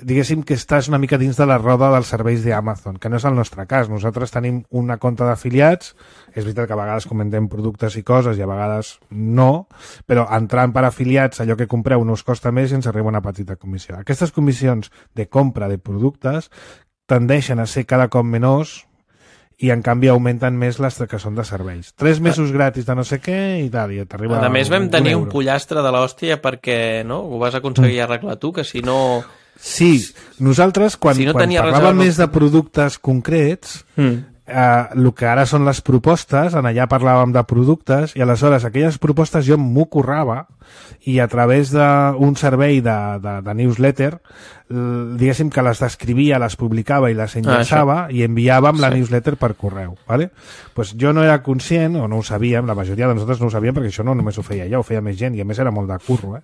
diguéssim que estàs una mica dins de la roda dels serveis d'Amazon, que no és el nostre cas. Nosaltres tenim una compte d'afiliats, és veritat que a vegades comentem productes i coses i a vegades no, però entrant per afiliats allò que compreu no us costa més i ens arriba una petita comissió. Aquestes comissions de compra de productes tendeixen a ser cada cop menors i en canvi augmenten més les que són de serveis. 3 mesos gratis de no sé què i tal, i t'arriba a més vam tenir un pollastre de l'hòstia perquè no, ho vas aconseguir arreglar tu, que si no... Sí, nosaltres quan parlàvem més de productes concrets, el que ara són les propostes, en allà parlàvem de productes, i aleshores aquelles propostes jo m'ho currava i a través d'un servei de newsletter, diguéssim que les descrivia, les publicava i les enllaçava i enviàvem la newsletter per correu. ¿Vale? Pues jo no era conscient, o no ho sabíem, la majoria de nosaltres no ho sabíem perquè això no només ho feia jo, ho feia més gent i a més era molt de curro,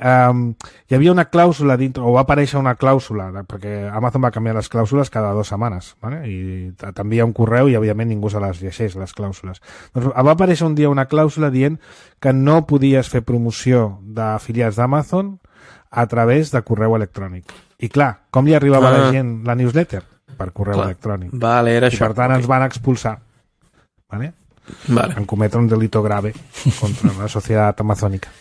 hi havia una clàusula dintre, o va aparèixer una clàusula, perquè Amazon va canviar les clàusules cada 2 setmanes, ¿vale? I t'envia un correu i òbviament ningú se les llegeix, les clàusules. Doncs va aparèixer un dia una clàusula dient que no podies fer promoció d'afiliats d'Amazon a través de correu electrònic. I clar, com li arribava a la gent la newsletter? Per correu electrònic. Vale, era això. I per tant ens van expulsar. ¿Vale? En cometre un delito grave contra la societat amazònica.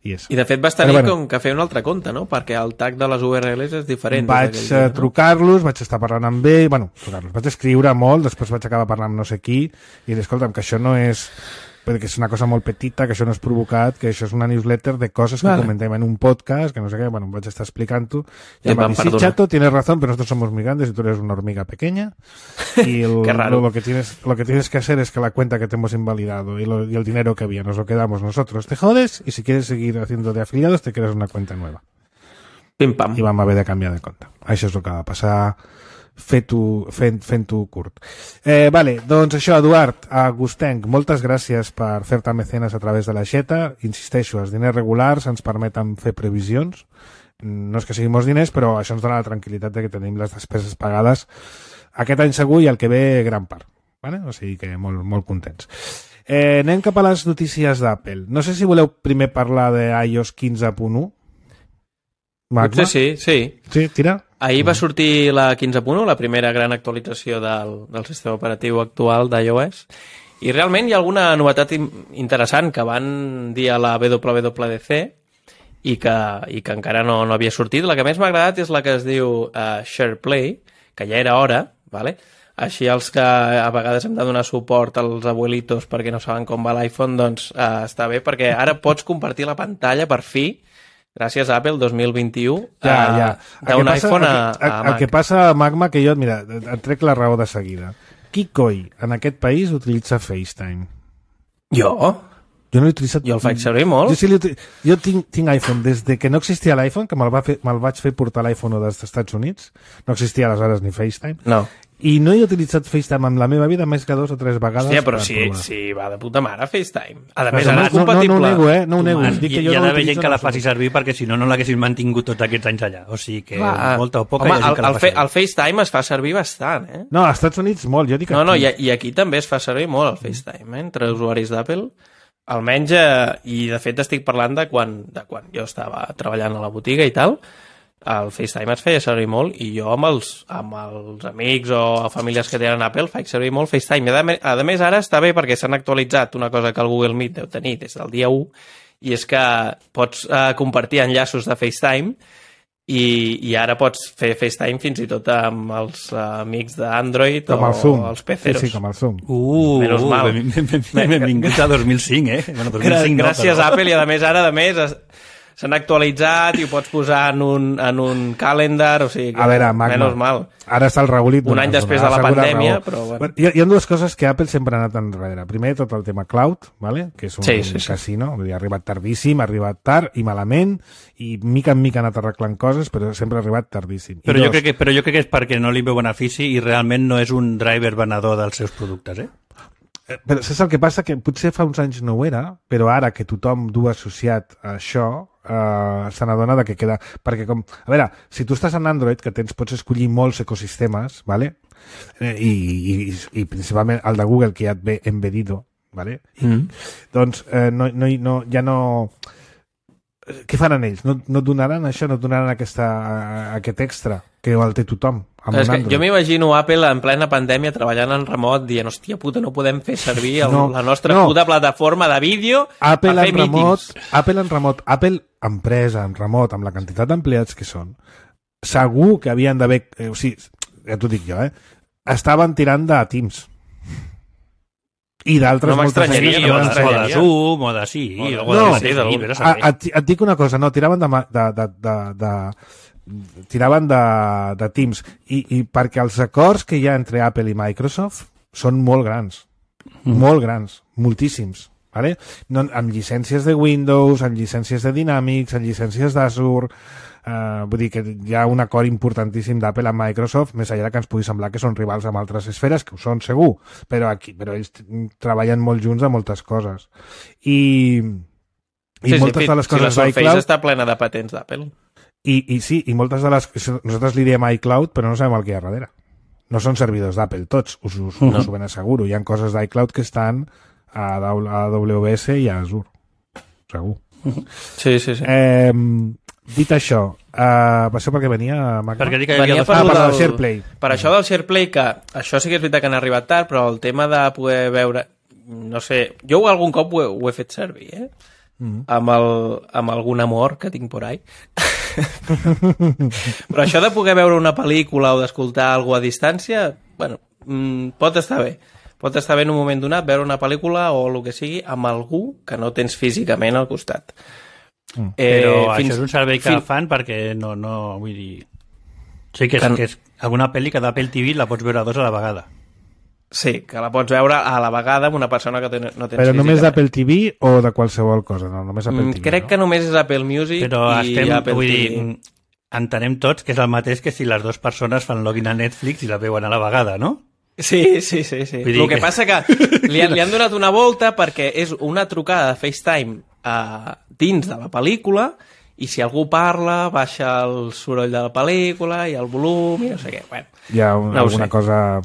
I de fet vas tenir com que fer un altre compte, no? Perquè el tag de les URLs és diferent. Vaig trucar-los, vaig estar parlant amb ell, vaig escriure molt, després vaig acabar parlant amb no sé qui, i dir, escolta'm, que això no és... perquè és una cosa molt petita, que això no és provocat, que això és una newsletter de coses que comentem en un podcast, que no sé què, vaig estar explicant-ho. I em va dir, sí, chato, tienes razón, pero nosotros somos muy grandes y tú eres una hormiga pequeña. Y lo que tienes que hacer es que la cuenta que te hemos invalidado y el dinero que había nos lo quedamos nosotros. Te jodes y si quieres seguir haciendo de afiliados te creas una cuenta nueva. Pim pam. I vam haver de canviar de compte. Això és el que va passar fent-ho curt. Vale, doncs això, Eduard Agustenc, moltes gràcies per fer-te mecenes a través de l'aixeta. Insisteixo, els diners regulars ens permeten fer previsions. No és que siguin molts diners, però això ens dona la tranquil·litat de que tenim les despeses pagades aquest any segur i el que ve gran part. Vale? O sigui que molt, molt contents. Anem cap a les notícies d'Apple. No sé si voleu primer parlar d'iOS 15.1. Magma? Sí, tira. Ahir va sortir la 15.1, la primera gran actualització del sistema operatiu actual d'iOS, i realment hi ha alguna novetat interessant que van dir a la WWDC i que encara no havia sortit. La que més m'ha agradat és la que es diu SharePlay, que ja era hora, ¿vale? Així els que a vegades hem de donar suport als abuelitos perquè no saben com va l'iPhone, doncs està bé, perquè ara pots compartir la pantalla per fi, gràcies a Apple 2021, d'un iPhone a Mac. El que passa, Magma, que jo, mira, et trec la raó de seguida. Qui coi en aquest país utilitza FaceTime? Jo? Jo no l'he utilitzat... Jo el faig servir molt. Jo tinc iPhone des de que no existia l'iPhone, que me'l vaig fer portar l'iPhone dels Estats Units. No existia aleshores ni FaceTime. No. I no he utilitzat FaceTime en la meva vida més que 2 o 3 vegades. Hòstia, però sí, va de puta mare FaceTime. A més, ara és compatible. No ho nego, no ho nego. Hi ha d'haver gent que la faci servir perquè si no l'haguessin mantingut tots aquests anys allà. O sigui que molta o poca hi ha gent que la fa servir. El FaceTime es fa servir bastant, No, als Estats Units molt, jo dic aquí. No, i aquí també es fa servir molt el FaceTime, entre usuaris d'Apple. Almenys, i de fet estic parlant de quan jo estava treballant a la botiga i tal, el FaceTime es feia servir molt i jo amb els amics o famílies que tenen Apple faig servir molt FaceTime. A més, ara està bé perquè s'han actualitzat una cosa que el Google Meet deu tenir des del dia 1 i és que pots compartir enllaços de FaceTime i ara pots fer FaceTime fins i tot amb els amics d'Android o els peceros. Sí, com el Zoom. Menys mal. Benvinguts a 2005, Bueno, 2005 Gràcies a Apple i a més s'han actualitzat i ho pots posar en un calendar, o sigui que a veure, menys mal. Ara està el regulit. Un any després de la pandèmia, però bueno. Hi ha dues coses que Apple sempre ha anat enrere. Primer, tot el tema cloud, ¿vale? Que és un casino, vull dir, ha arribat tardíssim, ha arribat tard i malament, i mica en mica ha anat arreglant coses, però sempre ha arribat tardíssim. Però jo crec que és perquè no li veu benefici i realment no és un driver venedor dels seus productes, Però saps el que passa? Que potser fa uns anys no ho era, però ara que tothom du associat a això, se n'adona que queda... Perquè a veure, si tu estàs en Android, que pots escollir molts ecosistemes, ¿vale? I principalment el de Google, que ja et ve embedido, ¿vale? Doncs ja no... Què faran ells? No donaran això? No donaran aquest extra que el té tothom? Jo m'imagino Apple en plena pandèmia treballant en remot dient, hòstia puta, no podem fer servir la nostra puta plataforma de vídeo a fer mítings. Apple en remot, Apple empresa en remot, amb la quantitat d'empleats que són, segur que havien d'haver... O sigui, ja t'ho dic jo, estaven tirant de Teams. I d'altres moltes eines o de Zoom, o de sí. Et dic una cosa, tiraven de Teams i perquè els acords que hi ha entre Apple i Microsoft són molt grans, moltíssims, ¿vale? Amb llicències de Windows, amb llicències de Dynamics, amb llicències d'Azure, vull dir que hi ha un acord importantíssim d'Apple amb Microsoft, més enllà que ens pugui semblar que són rivals amb altres esferes, que ho són segur, però ells treballen molt junts a moltes coses. I moltes de les coses d'iCloud... La Surface està plena de patents d'Apple. I moltes de les... Nosaltres li diem iCloud, però no sabem el que hi ha darrere. No són servidors d'Apple, tots, us ho ben asseguro. Hi ha coses d'iCloud que estan a AWS i a Azure. Segur. Sí. Dit això, això per què venia, Magda? Venia per SharePlay. Per això del SharePlay, que això sí que és veritat que han arribat tard, però el tema de poder veure... No sé, jo algun cop ho he fet servir, amb algun amor que tinc por ahí. Però això de poder veure una pel·lícula o d'escoltar alguna a distància, bueno, pot estar bé. Pot estar bé en un moment donat veure una pel·lícula o el que sigui amb algú que no tens físicament al costat. Però això és un servei que fan perquè no vull dir... Sí que és alguna pel·li que d'Apple TV la pots veure 2 a la vegada. Sí, que la pots veure a la vegada amb una persona que no tens físicament. Però només d'Apple TV o de qualsevol cosa? No, només Apple TV, crec que només és Apple Music i Apple TV. Entenem tots que és el mateix que si les dues persones fan login a Netflix i la veuen a la vegada, no? Sí. El que passa que li han donat una volta perquè és una trucada de FaceTime dins de la pel·lícula i si algú parla baixa el soroll de la pel·lícula i el volum i no sé què. Bueno, hi ha alguna cosa...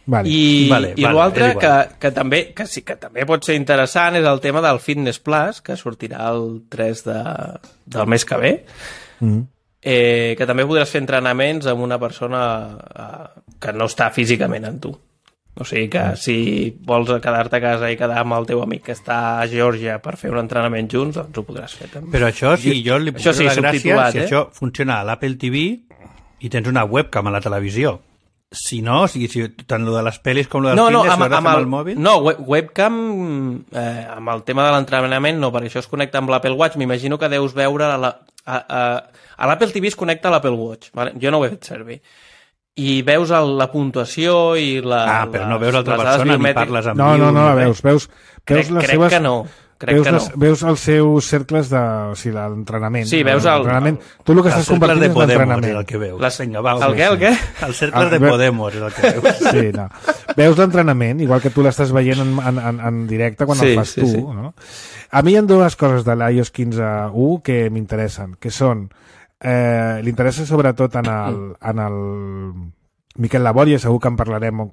Vale. I l'altre que també pot ser interessant és el tema del Fitness Plus, que sortirà el 3 del mes que ve, que també podràs fer entrenaments amb una persona que no està físicament amb tu. O sigui que si vols quedar-te a casa i quedar amb el teu amic que està a Geòrgia per fer un entrenament junts, doncs ho podràs fer també. Però això sí, jo li puc fer la gràcia si això funciona a l'Apple TV i tens una webcam a la televisió. Si no, si tant lo de les pel·lis com lo del fitness amb el mòbil... No, webcam amb el tema de l'entrenament no, perquè això es connecta amb l'Apple Watch. M'imagino que deus veure... A l'Apple TV es connecta a l'Apple Watch. Vale? Jo no ho he fet servir. I veus la puntuació i però no veus l'altra persona ni parles amb No la veus. Veus crec les seves... que no. crec que no. Veus els seus cercles de... O sigui, l'entrenament. Sí, veus l'entrenament. Tu el que estàs compartint és l'entrenament. El que veus. El què? Els cercles de Podemos és el que veus. Sí, no. Veus l'entrenament, igual que tu l'estàs veient en directe quan el fas tu. No? A mi hi ha dues coses de l'iOS 15.1 que m'interessen, que són... l'interessa sobretot en el Miquel Laboria, segur que en parlarem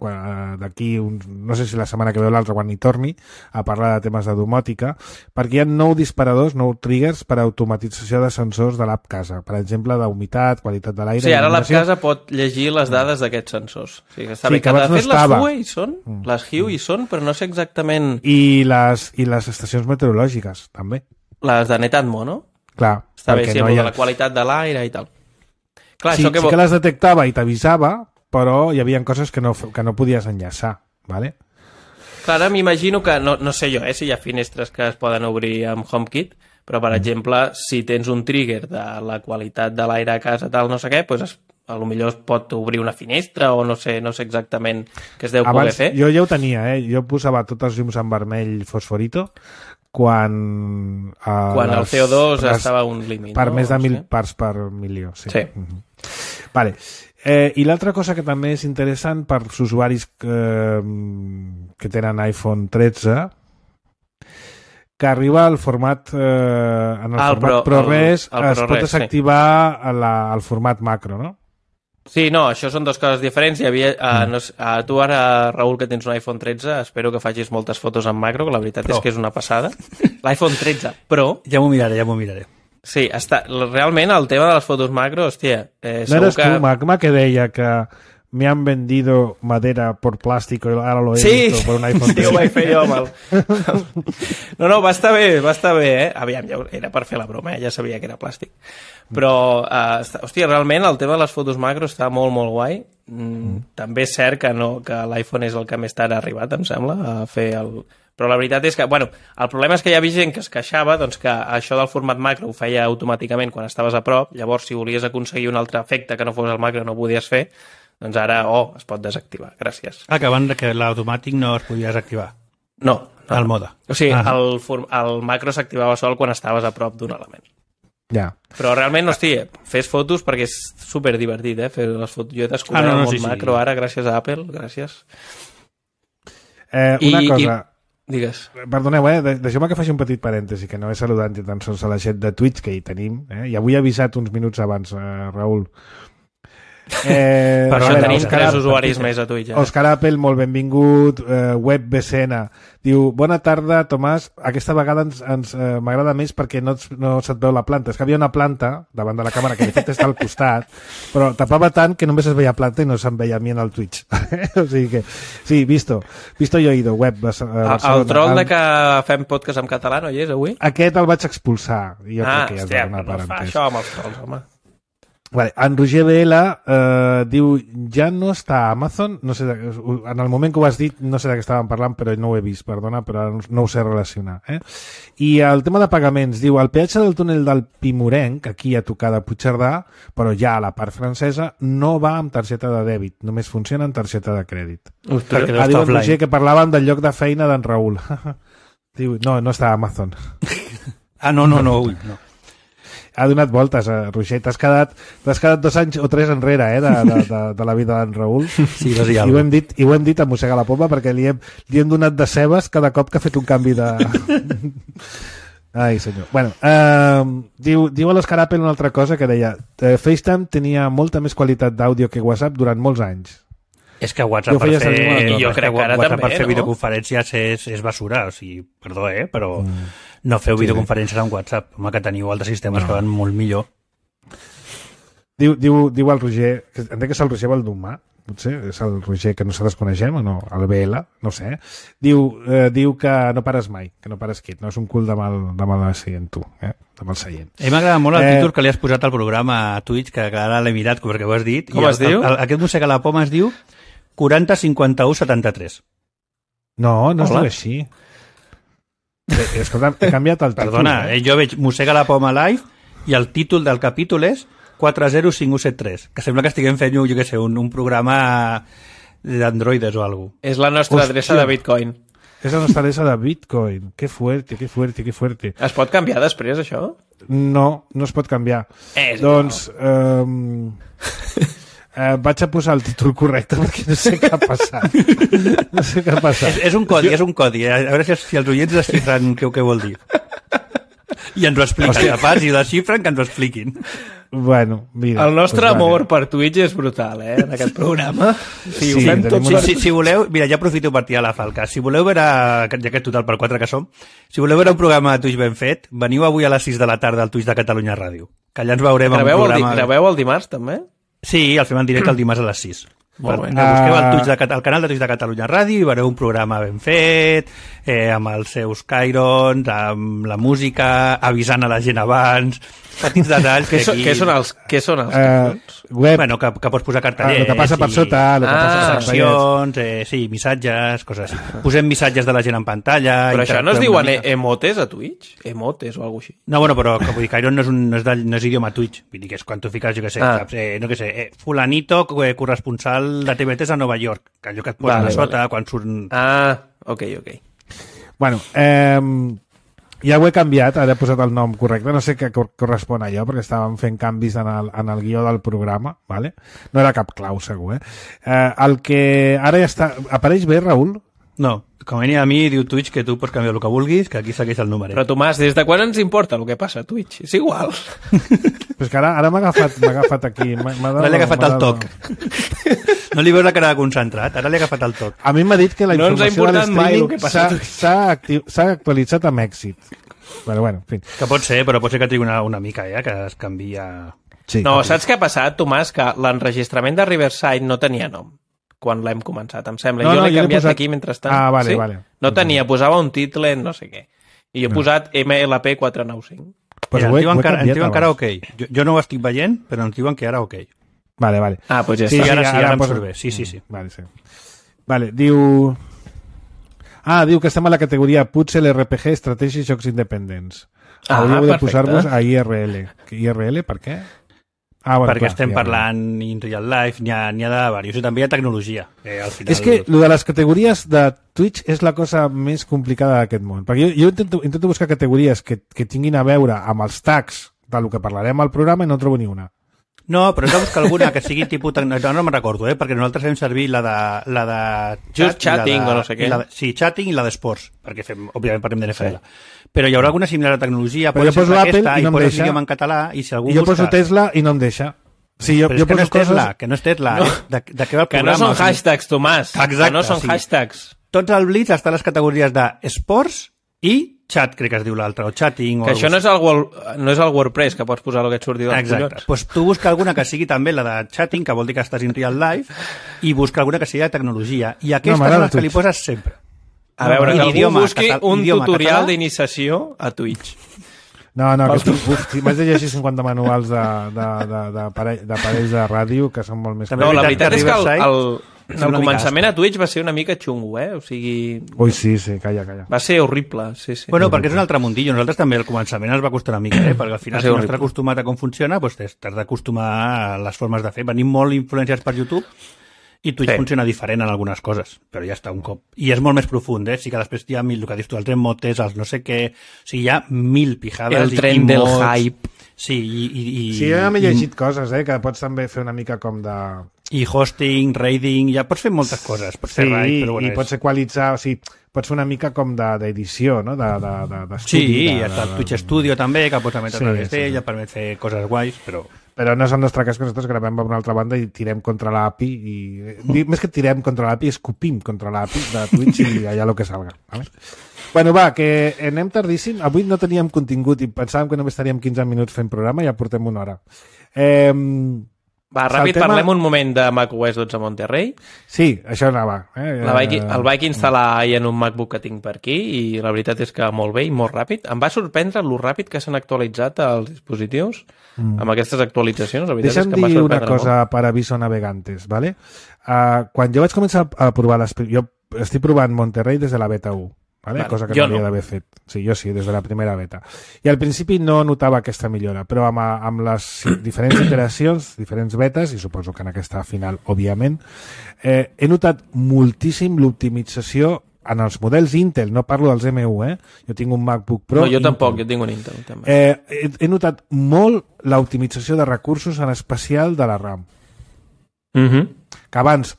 d'aquí, no sé si la setmana que ve o l'altra, quan hi torni, a parlar de temes de domòtica, perquè hi ha 9 disparadors, 9 triggers per a automatització de sensors de l'app Casa, per exemple, d'humitat, qualitat de l'aire... Sí, ara l'app Casa pot llegir les dades d'aquests sensors. O sigui, està bé, que de fet les Huawei hi són, les Hue hi són, però no sé exactament... I les estacions meteorològiques, també. Les de Netatmo, no? Clar. Està bé, sí, de la qualitat de l'aire i tal. Clar, sí, això que les detectava i t'avisava, però hi havia coses que no podies enllaçar, ¿vale? Clar, ara m'imagino que, no sé jo, si hi ha finestres que es poden obrir amb HomeKit, però, per exemple, si tens un trigger de la qualitat de l'aire a casa, tal, no sé què, doncs a lo millor es pot obrir una finestra o no sé exactament què es deu poder fer. Jo ja ho tenia, jo posava tots els llums en vermell fosforito quan el CO2 estava a un límit. Per més de 1.000 parts per milió, sí. Vale. I l'altra cosa que també és interessant per als usuaris que tenen iPhone 13, que arriba al format en el format ProRes, es pot desactivar el format macro, no? Sí, no, això són dues coses diferents. Hi havia, tu ara, Raül, que tens un iPhone 13, espero que facis moltes fotos en macro, que la veritat és que és una passada. L'iPhone 13 Pro... Ja m'ho miraré. Sí, realment el tema de les fotos macro, hòstia... No eres tu, Magma, que deia que me han vendido madera por plástico y ahora lo he visto por un iPhone 13. Sí, ho vaig fer jo amb el... No, va estar bé, eh? Aviam, ja era per fer la broma, ja sabia que era plàstic. Però, hòstia, realment el tema de les fotos macro està molt, molt guai. També és cert que l'iPhone és el que més tard ha arribat, em sembla, a fer el... Però la veritat és que, bueno, el problema és que hi havia gent que es queixava doncs, que això del format macro ho feia automàticament quan estaves a prop, llavors si volies aconseguir un altre efecte que no fos el macro no ho podies fer, doncs ara, es pot desactivar, gràcies. Que abans que l'automàtic no es podia desactivar? No. El mode. O sigui, el macro s'activava sol quan estaves a prop d'un element. Ja. Però realment, hòstia, fes fotos perquè és superdivertit, fer les fotos. Jo he descobert el món macro ara gràcies a Apple, gràcies. Una cosa... Digues. Perdoneu, deixeu-me que faci un petit parèntesi, que no he saludat ni tan sols a la gent de Twitch que hi tenim, i avui he avisat uns minuts abans, Raül. Per això tenim 3 usuaris més a Twitch. Òscar Apple, molt benvingut. WebBCN diu, bona tarda, Tomàs, aquesta vegada m'agrada més perquè no se't veu la planta. És que havia una planta davant de la càmera que de fet està al costat, però tapava tant que només es veia planta i no se'm veia a mi en el Twitch. O sigui que, sí, visto yo he ido, web. El troll de que fem podcast en català no hi és avui? Aquest el vaig expulsar. Hòstia, no fa això amb els trolls, home. Vale. En Roger BL diu, ja no està a Amazon, no sé, en el moment que ho has dit no sé de què estàvem parlant, però no ho he vist, perdona, però no ho sé relacionar. I el tema de pagaments, diu, el peatge del túnel del Pimurenc, aquí a tocar de Puigcerdà, però ja a la part francesa, no va amb targeta de dèbit, només funciona amb targeta de crèdit. Diu en Roger que parlàvem del lloc de feina d'en Raül. Diu, no està a Amazon. No. Ha donat voltes, Roger. T'has quedat 2 anys o 3 enrere de la vida d'en Raül. Sí, i ho hem dit a mossegar la poma perquè li hem donat de cebes cada cop que ha fet un canvi de... Ai, senyor. Bueno, diu a l'Òscar Apple una altra cosa que deia FaceTime tenia molta més qualitat d'àudio que WhatsApp durant molts anys. És que WhatsApp per fer videoconferències és basura, o sigui, perdó, però no feu videoconferències amb WhatsApp, home, que teniu altres sistemes que van molt millor. Diu el Roger, entenc que és el Roger Valdumà, potser és el Roger que nosaltres coneixem o no, el BL, no sé, diu que no pares mai, que no pares quit, no és un cul de mal seient tu, de mal seient. M'agrada molt el títol que li has posat al programa a Twitch, que ara l'he mirat perquè ho has dit. Com es diu? Aquest mossega la poma es diu 40 51 73. No es diu així. Escolta, he canviat el títol. Perdona, jo veig Mossega la poma live i el títol del capítol és 405173, que sembla que estiguem fent, jo què sé, un programa d'androides o alguna cosa. És la nostra adreça de Bitcoin. És la nostalesa de Bitcoin. Que fuerte. Es pot canviar després, això? No es pot canviar. Doncs... vaig a posar el títol correcte perquè no sé què ha passat. És un codi. A veure si els oients desxifren què vol dir. I ens ho expliquen, capaz, i desxifren que ens ho expliquin. Bueno, mira. El nostre amor per Twitch és brutal, en aquest programa. Sí, ho fem tot. Si voleu, mira, ja aprofito per tirar la falca. Si voleu veure, ja que total per 4 que som, si voleu veure un programa de Twitch ben fet, veniu avui a les 6 de la tarda al Twitch de Catalunya Ràdio. Que allà ens veurem en un programa... Graveu el dimarts, també? Sí, el fem en directe el dimarts a les 6. Molt bé. Busqueu el canal de Twitch de Catalunya Ràdio i veureu un programa ben fet, amb els seus cairons, amb la música, avisant a la gent abans, petits detalls. Què són els cairons? Bueno, que pots posar cartellers. El que passa per sota, el que passa per seccions, sí, missatges, coses així. Posem missatges de la gent en pantalla. Però això no es diuen emotes a Twitch? Emotes o alguna cosa així? No, bueno, però vull dir, Cairon no és idioma Twitch. Vull dir que és quan tu fiques, jo què sé, no què sé, fulanito corresponsal de TV3 a Nova York, que allò que et posen a sota quan surt... Ok. Bueno, ja ho he canviat, ara he posat el nom correcte, no sé què correspon a allò, perquè estàvem fent canvis en el guió del programa, ¿vale? No era cap clau, segur, el que ara ja està... Apareix bé, Raül? No, com venia a mi, diu Twitch que tu pots canviar el que vulguis, que aquí segueix el número. Però, Tomàs, des de quan ens importa el que passa a Twitch? És igual. Però és que ara m'ha agafat aquí. Ara li ha agafat el toc. No li veus la cara de concentrat, ara li ha agafat el toc. A mi m'ha dit que la informació de l'streaming s'ha actualitzat amb èxit. Però bueno, en fi. Que pot ser, però pot ser que trigui una mica, que es canvia... Sí, no, saps què ha passat, Tomàs? Que l'enregistrament de Riverside no tenia nom quan l'hem començat, em sembla. Jo l'he canviat aquí mentrestant. Vale. No tenia, posava un title no sé què. I jo he posat MLP 495. Pues ens diuen que ara ok. Jo no ho estic veient, però ens diuen que ara ok. Vale. Pues ja està. Sí, ara em surt bé. Sí. Vale, sí. Vale, diu que estem a la categoria potser l'RPG, estratègia i jocs independents. Hauríeu de posar-vos a IRL. IRL, per què? Bueno, perquè estem parlant in real life, n'hi ha de diversos, i també hi ha tecnologia. Al final... És que el de les categories de Twitch és la cosa més complicada d'aquest món, perquè jo intento buscar categories que tinguin a veure amb els tags del que parlarem al programa i no trobo ni una. No, però hem de buscar alguna que sigui tipus... No me'n recordo, perquè nosaltres fem servir la de Just chatting o no sé què. Sí, chatting i la d'esports, perquè òbviament parlem de NFL. Però hi haurà alguna similar a tecnologia, però pot ser aquesta, i no posa l'idioma en català, i si algú jo poso Tesla i no em deixa. Sí, però és que no és Tesla, que no és Tesla. De què va el programa? Que no són hashtags, Tomàs. Exacte, que no són hashtags. Tots al Blitz estan les categories d'esports i chat, crec que es diu l'altre, o chatting... Que això no és el WordPress, que pots posar el que et surti dels collons. Exacte. Pues tu busca alguna que sigui també la de chatting, que vol dir que estàs in real life, i busca alguna que sigui de tecnologia. I aquestes són les que li poses sempre. A veure, que algú busqui un tutorial d'iniciació a Twitch. No, que m'has de llegir 50 manuals d'aparells de ràdio que són molt més... No, la veritat és que el començament a Twitch va ser una mica xungo, O sigui... Ui, sí, calla. Va ser horrible, sí. Bueno, perquè és un altre mundillo. Nosaltres també al començament ens va costar una mica, perquè al final si no estàs acostumat a com funciona, doncs t'has d'acostumar a les formes de fer. Venim molt influenciats per YouTube i Twitch funciona diferent en algunes coses, però ja està un cop. I és molt més profund, Sí que després hi ha el que dius tu, els emotes, els no sé què... O sigui, hi ha 1000 pijades. El tren del hype. Sí, sí, jo m'he llegit coses, que pots també fer una mica com de... I hosting, raiding, ja pots fer moltes coses. Pots fer raid, però i pots equalitzar, o sigui, pots fer una mica com d'edició, no? D'estudi. Sí, hi ha el Twitch Studio també, que pots emetre a través d'ell, ja permet fer coses guais, però no és el nostre cas, que nosaltres gravem per una altra banda i tirem contra l'API més que tirem contra l'API, escopim contra l'API de Twitch i allà el que salga. ¿Vale? Bueno, va, que anem tardíssim. Avui no teníem contingut i pensàvem que només estaríem 15 minuts fent programa i ja portem una hora. Va, ràpid, parlem un moment de macOS 12 Monterrey. Sí, això anava. El vaig instal·lar en un MacBook que tinc per aquí i la veritat és que molt bé i molt ràpid. Em va sorprendre lo ràpid que s'han actualitzat els dispositius amb aquestes actualitzacions. La veritat és que em va dir sorprendre una cosa per aviso navegantes, ¿vale? Quan jo vaig començar a provar jo estic provant Monterrey des de la beta 1. ¿Vale? Cosa que no hauria d'haver fet. Sí, jo sí, des de la primera beta. I al principi no notava aquesta millora, però amb les diferents iteracions, diferents betes, i suposo que en aquesta final, òbviament, he notat moltíssim l'optimització en els models Intel, no parlo dels M1, jo tinc un MacBook Pro. No, jo tampoc, jo tinc un Intel també. He notat molt l'optimització de recursos, en especial de la RAM. Que abans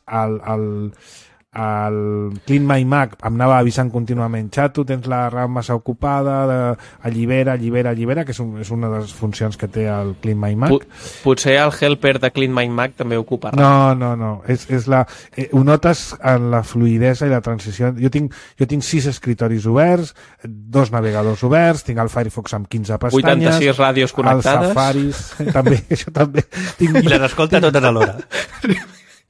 el Clean My Mac em anava avisant contínuament, xato, tens la RAM massa ocupada, allibera, que és una de les funcions que té el Clean My Mac. Potser el helper de Clean My Mac també ocupa RAM. No. Ho notes en la fluidesa i la transició. Jo tinc 6 escritoris oberts, 2 navegadors oberts, tinc el Firefox amb 15 pestanyes, 86 ràdios connectades, els Safaris, també, això també. I les escolta totes alhora.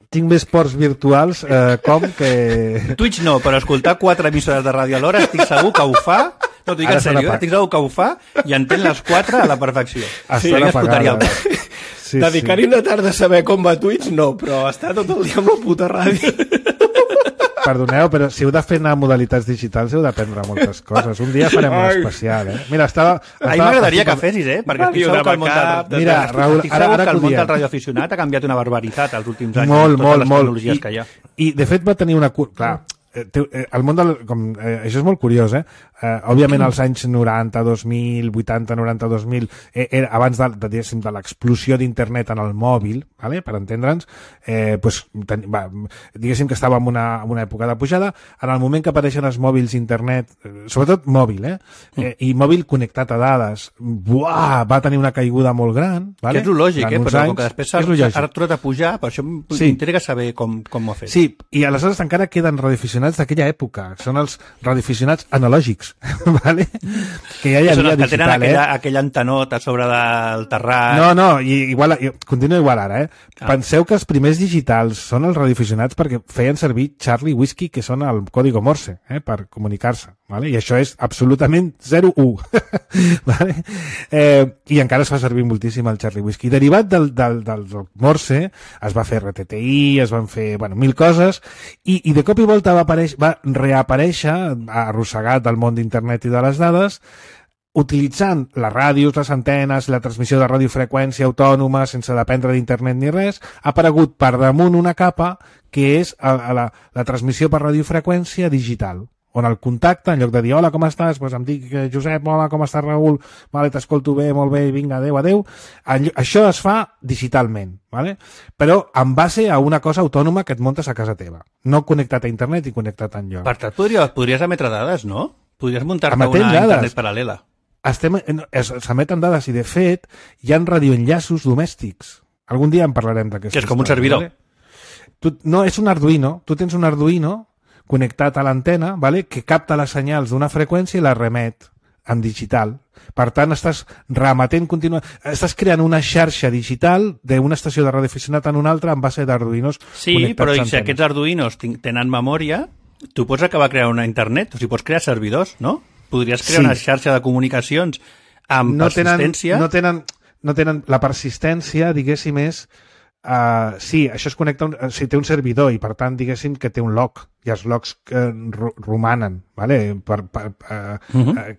Tinc més ports virtuals com que... Twitch no, però escoltar 4 emissores de ràdio alhora estic segur que ho fa. No, t'ho dic en sèrio, estic segur que ho fa i entén les 4 a la perfecció. Estan apagades. Dedicar-hi una tarda a saber com va Twitch, no, però està tot el dia amb la puta ràdio. Perdoneu, però si heu de fer anar modalitats digitals heu d'aprendre moltes coses. Un dia farem un especial, Mira, a mi m'agradaria que fessis, perquè estic segur que el món del radioaficionat ha canviat una barbaritat els últims anys. Molt. Tecnologies que hi ha. I de fet va tenir una... Clar, el món del... això és molt curiós, òbviament als anys 90, 2000, 80, 90, 2000, abans de l'explosió d'internet en el mòbil, per entendre'ns, diguéssim que estava en una època de pujada. En el moment que apareixen els mòbils internet, sobretot mòbil, i mòbil connectat a dades, va tenir una caiguda molt gran. Que és lo lògic, però com que després s'ha tornat a pujar, per això m'intriga saber com ho ha fet. Sí, i aleshores encara queden radioaficionats d'aquella època, són els radioaficionats analògics, vale? Que ja hi havia digital, que tenen aquella antenota sobre del terrat. No, continua igual ara, Penseu que els primers digitals són els radioaficionats perquè feien servir Charlie Whiskey, que són el código Morse, per comunicar-se, vale? I això és absolutament 0-1, vale? I encara es fa servir moltíssim el Charlie Whiskey. Derivat del Morse es va fer RTTI, es van fer, mil coses, i de cop i volta va reaparèixer, arrossegat del món d'internet i de les dades, utilitzant les ràdios, les antenes, la transmissió de radiofreqüència autònoma, sense dependre d'internet ni res, ha aparegut per damunt una capa que és la transmissió per radiofreqüència digital, on el contacte, en lloc de dir hola, com estàs? Em dic Josep, hola, com estàs, Raül? Vale, t'escolto bé, molt bé, vinga, adeu. Això es fa digitalment, vale? Però en base a una cosa autònoma que et muntes a casa teva, no connectat a internet i connectat enlloc. Per tant, podries emetre dades, no? Podries muntar-te una internet paral·lela. S'emeten dades i, de fet, hi ha radioenllaços domèstics. Algun dia en parlarem d'aquesta història. Que és com un servidor. Vale? No, és un Arduino. Tu tens un Arduino connectat a l'antena, vale? Que capta les senyals d'una freqüència i la remet en digital. Per tant, estàs remetent estàs creant una xarxa digital d'una estació de radioaficionat en una altra en base d'Arduinos. Sí, però si aquests Arduinos tenen memòria, tu pots acabar creant una internet, o sigui, pots crear servidors, no? Podries crear una xarxa de comunicacions amb persistència. No tenen la persistència, diguéssim, és... sí, això es connecta, té un servidor i per tant diguéssim que té un log i els logs romanen, vale?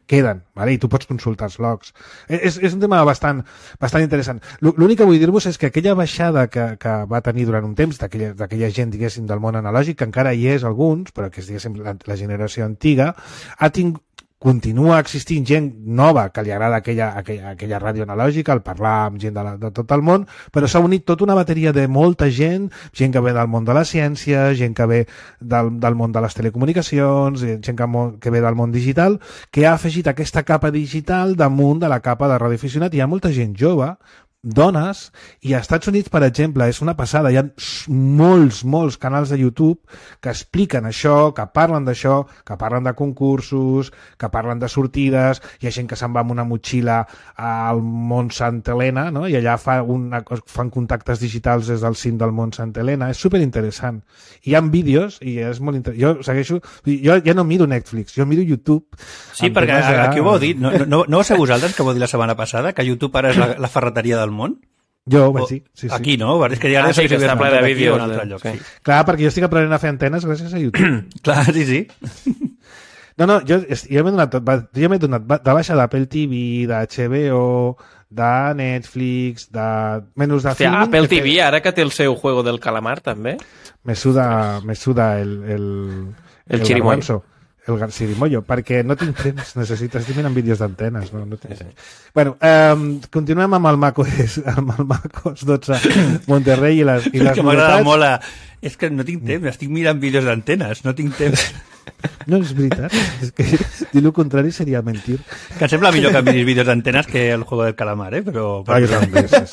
Queden, vale? I tu pots consultar els logs. És un tema bastant interessant. L'únic que vull dir-vos és que aquella baixada que va tenir durant un temps d'aquella gent, diguéssim, del món analògic, que encara hi és alguns, però que és, diguéssim, la generació antiga, continua existint gent nova que li agrada aquella ràdio analògica, el parlar amb gent de tot el món, però s'ha unit tota una bateria de molta gent que ve del món de la ciència, gent que ve del món de les telecomunicacions, gent que ve del món digital, que ha afegit aquesta capa digital damunt de la capa de radioaficionat. Hi ha molta gent jove, dones, i als Estats Units, per exemple, és una passada, hi ha molts canals de YouTube que expliquen això, que parlen d'això, que parlen de concursos, que parlen de sortides, hi ha gent que se'n va amb una motxilla al Mont Santa Helena, no? I allà fan contactes digitals des del cim del Mont Santa Helena, és superinteressant. Hi ha vídeos, i és molt interessant. Jo ja no miro Netflix, jo miro YouTube. Sí, perquè aquí ho vau dir, no va ser vosaltres que vau dir la setmana passada, que YouTube ara és la ferreteria del món? Jo ho vaig dir, sí. Aquí no, és que ja sí, que està ple de vídeos en altre lloc. Sí. Clar, perquè jo estic aprenent a fer antenes gràcies a YouTube. Clar, sí. No, jo m'he donat de baixa d'Apple TV, d'HBO, de Netflix, de menús de filming... Apple TV, ara que té el seu Juego del Calamar, també? Me suda El Chirimoyo. Garbanzo, el Cirimollo, perquè no tinc temps, estic mirant vídeos d'antenes. No tinc temps. Bueno, continuem amb el MacOS 12 Monterrey i les que m'agrada molt. És que no tinc temps, estic mirant vídeos d'antenes, no tinc temps. No, és veritat. És que dir el contrari seria mentir. Que em sembla millor que miris vídeos d'antenes que el Juego del Calamar, però... Sí.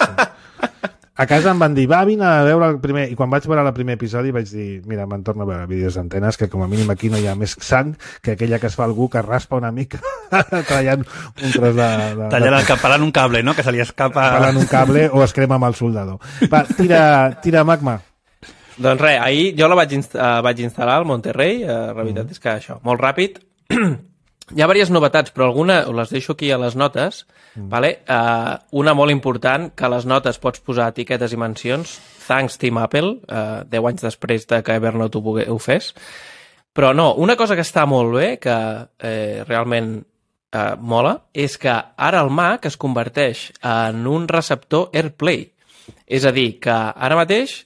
A casa em van dir, vine a veure el primer... I quan vaig veure el primer episodi vaig dir, mira, me'n torno a veure vídeos d'antenes, que com a mínim aquí no hi ha més sang que aquella que es fa algú que raspa una mica tallant un tros de... Tallant un cable, no?, que se li escapa... Tallant un cable o es crema amb el soldador. Va, tira Magma. Doncs res, ahir jo la vaig instal·lar al Monterrey, la veritat és que això, molt ràpid. Hi ha diverses novetats, però alguna les deixo aquí a les notes. Vale? Una molt important, que a les notes pots posar etiquetes i mencions. Thanks, Team Apple, 10 anys després de que Evernote ho fes. Però no, una cosa que està molt bé, que realment mola, és que ara el Mac es converteix en un receptor AirPlay. És a dir, que ara mateix,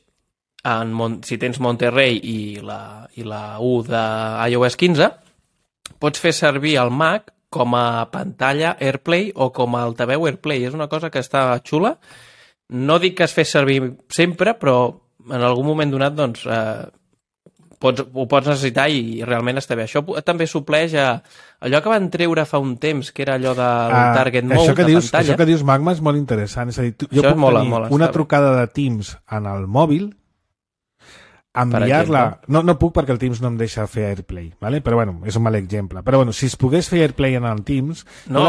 si tens Monterrey i la U d'iOS 15, pots fer servir el Mac com a pantalla AirPlay o com a altaveu AirPlay. És una cosa que està xula. No dic que es fes servir sempre, però en algun moment donat doncs, ho pots necessitar i realment està bé. Això també supleix a allò que van treure fa un temps, que era allò del Target Mode de pantalla. Això que dius, Magma, és molt interessant. És a dir, jo puc tenir una trucada de Teams en el mòbil, enviar-la... No puc perquè el Teams no em deixa fer AirPlay, ¿vale? Però bueno, és un mal exemple. Però bueno, si es pogués fer AirPlay en el Teams... No,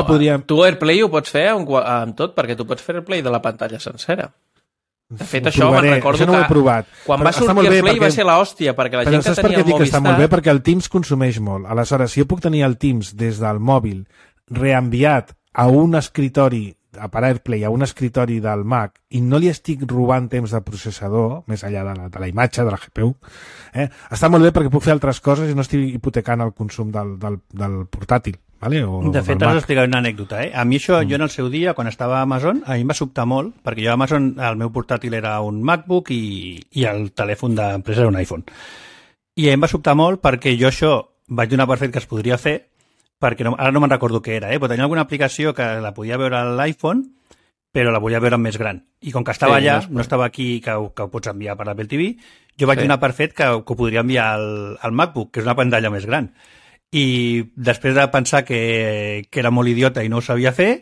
tu AirPlay ho pots fer amb tot, perquè tu pots fer AirPlay de la pantalla sencera. De fet, això me'n recordo no ho he provat. Quan va sortir AirPlay va ser l'hòstia, perquè la gent que tenia el Movistar... Està molt bé perquè el Teams consumeix molt. Aleshores, si jo puc tenir el Teams des del mòbil reenviat a un escritori per AirPlay a un escritori del Mac i no li estic robant temps de processador, més enllà de la imatge, de la GPU, està molt bé perquè puc fer altres coses i no estic hipotecant el consum del portàtil. Vale? De fet, has d'explicar una anècdota. A mi això, jo en el seu dia, quan estava a Amazon, a mi em va sobtar molt, perquè jo a Amazon el meu portàtil era un MacBook i el telèfon d'empresa era un iPhone. I em va sobtar molt perquè jo això vaig donar per fet que es podria fer, perquè ara no me'n recordo què era, però tenia alguna aplicació que la podia veure a l'iPhone, però la volia veure més gran. I com que estava allà, no estava aquí, que ho pots enviar per l'Apple TV, jo vaig donar per fet que ho podria enviar al MacBook, que és una pantalla més gran. I després de pensar que era molt idiota i no ho sabia fer,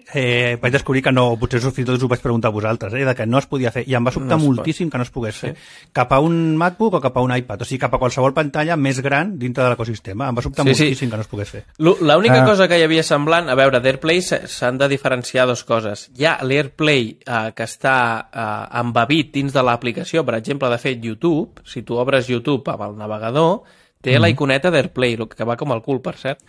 vaig descobrir que no, potser fins i tot us ho vaig preguntar a vosaltres, de que no es podia fer, i em va sobtar moltíssim que no es pogués fer cap a un MacBook o cap a un iPad, o sigui, cap a qualsevol pantalla més gran dintre de l'ecosistema. Em va sobtar moltíssim que no es pogués fer. L'única cosa que hi havia semblant, a veure, d'AirPlay s'han de diferenciar dues coses. Hi ha l'AirPlay que està embebit dins de l'aplicació, per exemple, de fet, YouTube, si tu obres YouTube amb el navegador, té la iconeta d'AirPlay, que va com el cul, per cert,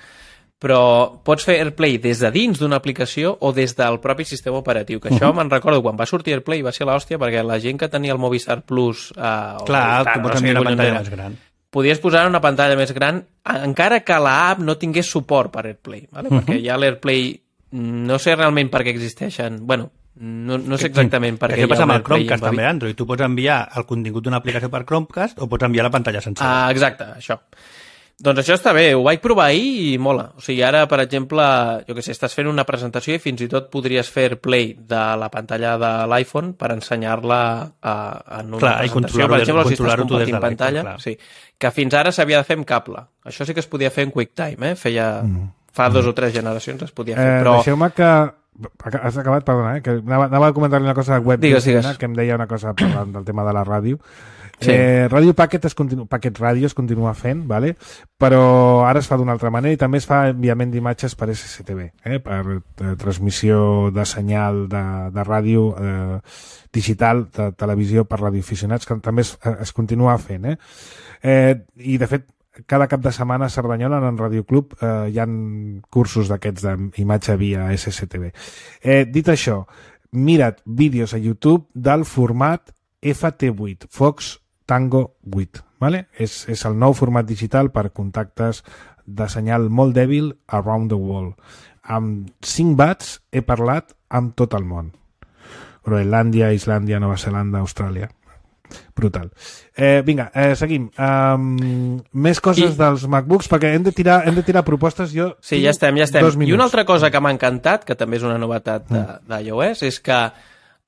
però pots fer AirPlay des de dins d'una aplicació o des del propi sistema operatiu, que això me'n recordo, quan va sortir AirPlay va ser l'hòstia, perquè la gent que tenia el Movistar Plus... Clar, que pots enviar una pantalla més gran. Podies posar una pantalla més gran, encara que l'app no tingués suport per AirPlay, ¿vale? Perquè ja l'AirPlay, no sé realment per què existeixen, bueno, no sé exactament per què. Què passa amb el Chromecast també, Android? Tu pots enviar el contingut d'una aplicació per Chromecast o pots enviar la pantalla sencera. Exacte, això. Doncs això està bé, ho vaig provar ahir i mola. O sigui, ara, per exemple, jo què sé, estàs fent una presentació i fins i tot podries fer AirPlay de la pantalla de l'iPhone per ensenyar-la en una presentació. Per exemple, si estàs compartint pantalla, sí, que fins ara s'havia de fer amb cable. Això sí que es podia fer en QuickTime, fa 2 o 3 generacions es podia fer. Però... Deixeu-me que... Has acabat, perdona, que anava a comentar-li una cosa web digues. Que em deia una cosa parlant del tema de la ràdio. Sí. Ràdio Packet Ràdio es continua fent, ¿vale? Però ara es fa d'una altra manera i també es fa enviament d'imatges per SCTV, per transmissió de senyal de ràdio digital, de televisió per radioaficionats, que també es continua fent. I, de fet, cada cap de setmana a Cerdanyola en Radio Club hi ha cursos d'aquests d'imatge via SCTV. Dit això, mira't vídeos a YouTube del format FT8, Fox Tango 8, ¿vale? És el nou format digital per contactes de senyal molt dèbil around the world. Amb 5 watts he parlat amb tot el món. Groenlàndia, Islàndia, Nova Zelanda, Austràlia. Brutal. Vinga, seguim. Més coses dels MacBooks, perquè hem de tirar propostes. Sí, ja estem. I una altra cosa que m'ha encantat, que també és una novetat d'iOS, és que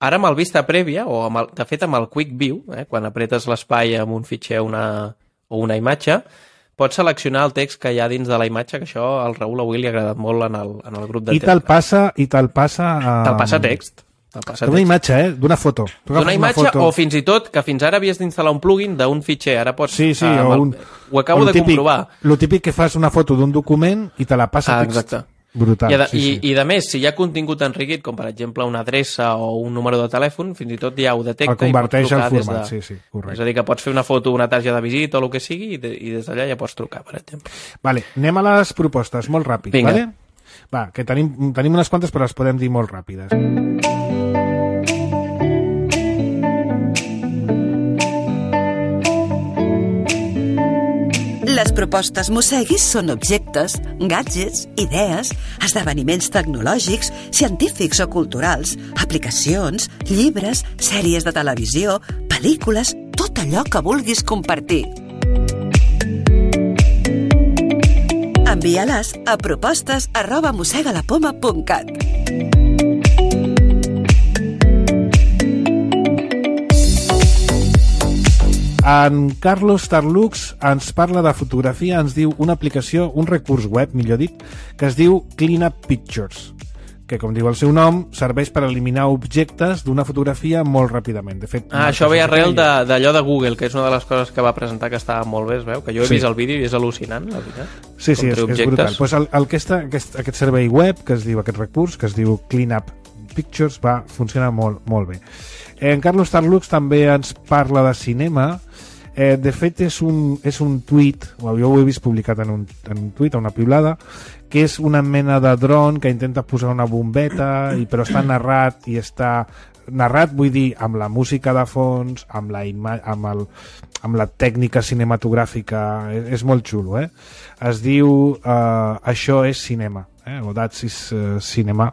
ara amb el Vista Prèvia, de fet amb el Quick View, quan apretes l'espai amb un fitxer o una imatge, pots seleccionar el text que hi ha dins de la imatge, que això al Raül avui li ha agradat molt en el grup de Tesla. I te'l passa... Te'l passa text. D'una imatge, d'una foto. D'una imatge o fins i tot, que fins ara havies d'instal·lar un plugin d'un fitxer, ara pots... Sí, ho acabo de comprovar. Lo típic que fas una foto d'un document i te la passa text. Exacte. Brutal. I de més, si hi ha contingut enriquit, com per exemple una adreça o un número de telèfon, fins i tot ja ho detecta. El converteix al format, sí, correcte. És a dir, que pots fer una foto, una targeta de visita o el que sigui, i des d'allà ja pots trucar, per exemple. Vale, anem a les propostes, molt ràpid. Vinga. Vale? Va, que tenim unes quantes, però les podem dir molt ràpides. Les propostes Mosseguis són objectes, gadgets, idees, esdeveniments tecnològics, científics o culturals, aplicacions, llibres, sèries de televisió, pel·lícules, tot allò que vulguis compartir. Envia-les a propostes@mossegalapoma.cat. En Carlos Tarlux ens parla de fotografia, ens diu una aplicació, un recurs web, millor dit, que es diu Clean Up Pictures, que, com diu el seu nom, serveix per eliminar objectes d'una fotografia molt ràpidament. De fet, això ve arrel d'allò de Google, que és una de les coses que va presentar que estava molt bé, es veu, que jo he vist el vídeo i és al·lucinant, la veritat. Sí, és brutal. Pues aquest servei web, que es diu aquest recurs, que es diu Clean Up Pictures, va funcionar molt, molt bé. En Carlos Tarlux també ens parla de cinema. De fet, és un tuit, jo ho he vist publicat en un tuit, a una piulada, que és una mena de dron que intenta posar una bombeta, però està narrat, i està narrat, vull dir, amb la música de fons, amb la tècnica cinematogràfica. És molt xulo, eh? Es diu Això és cinema, o That's is cinema.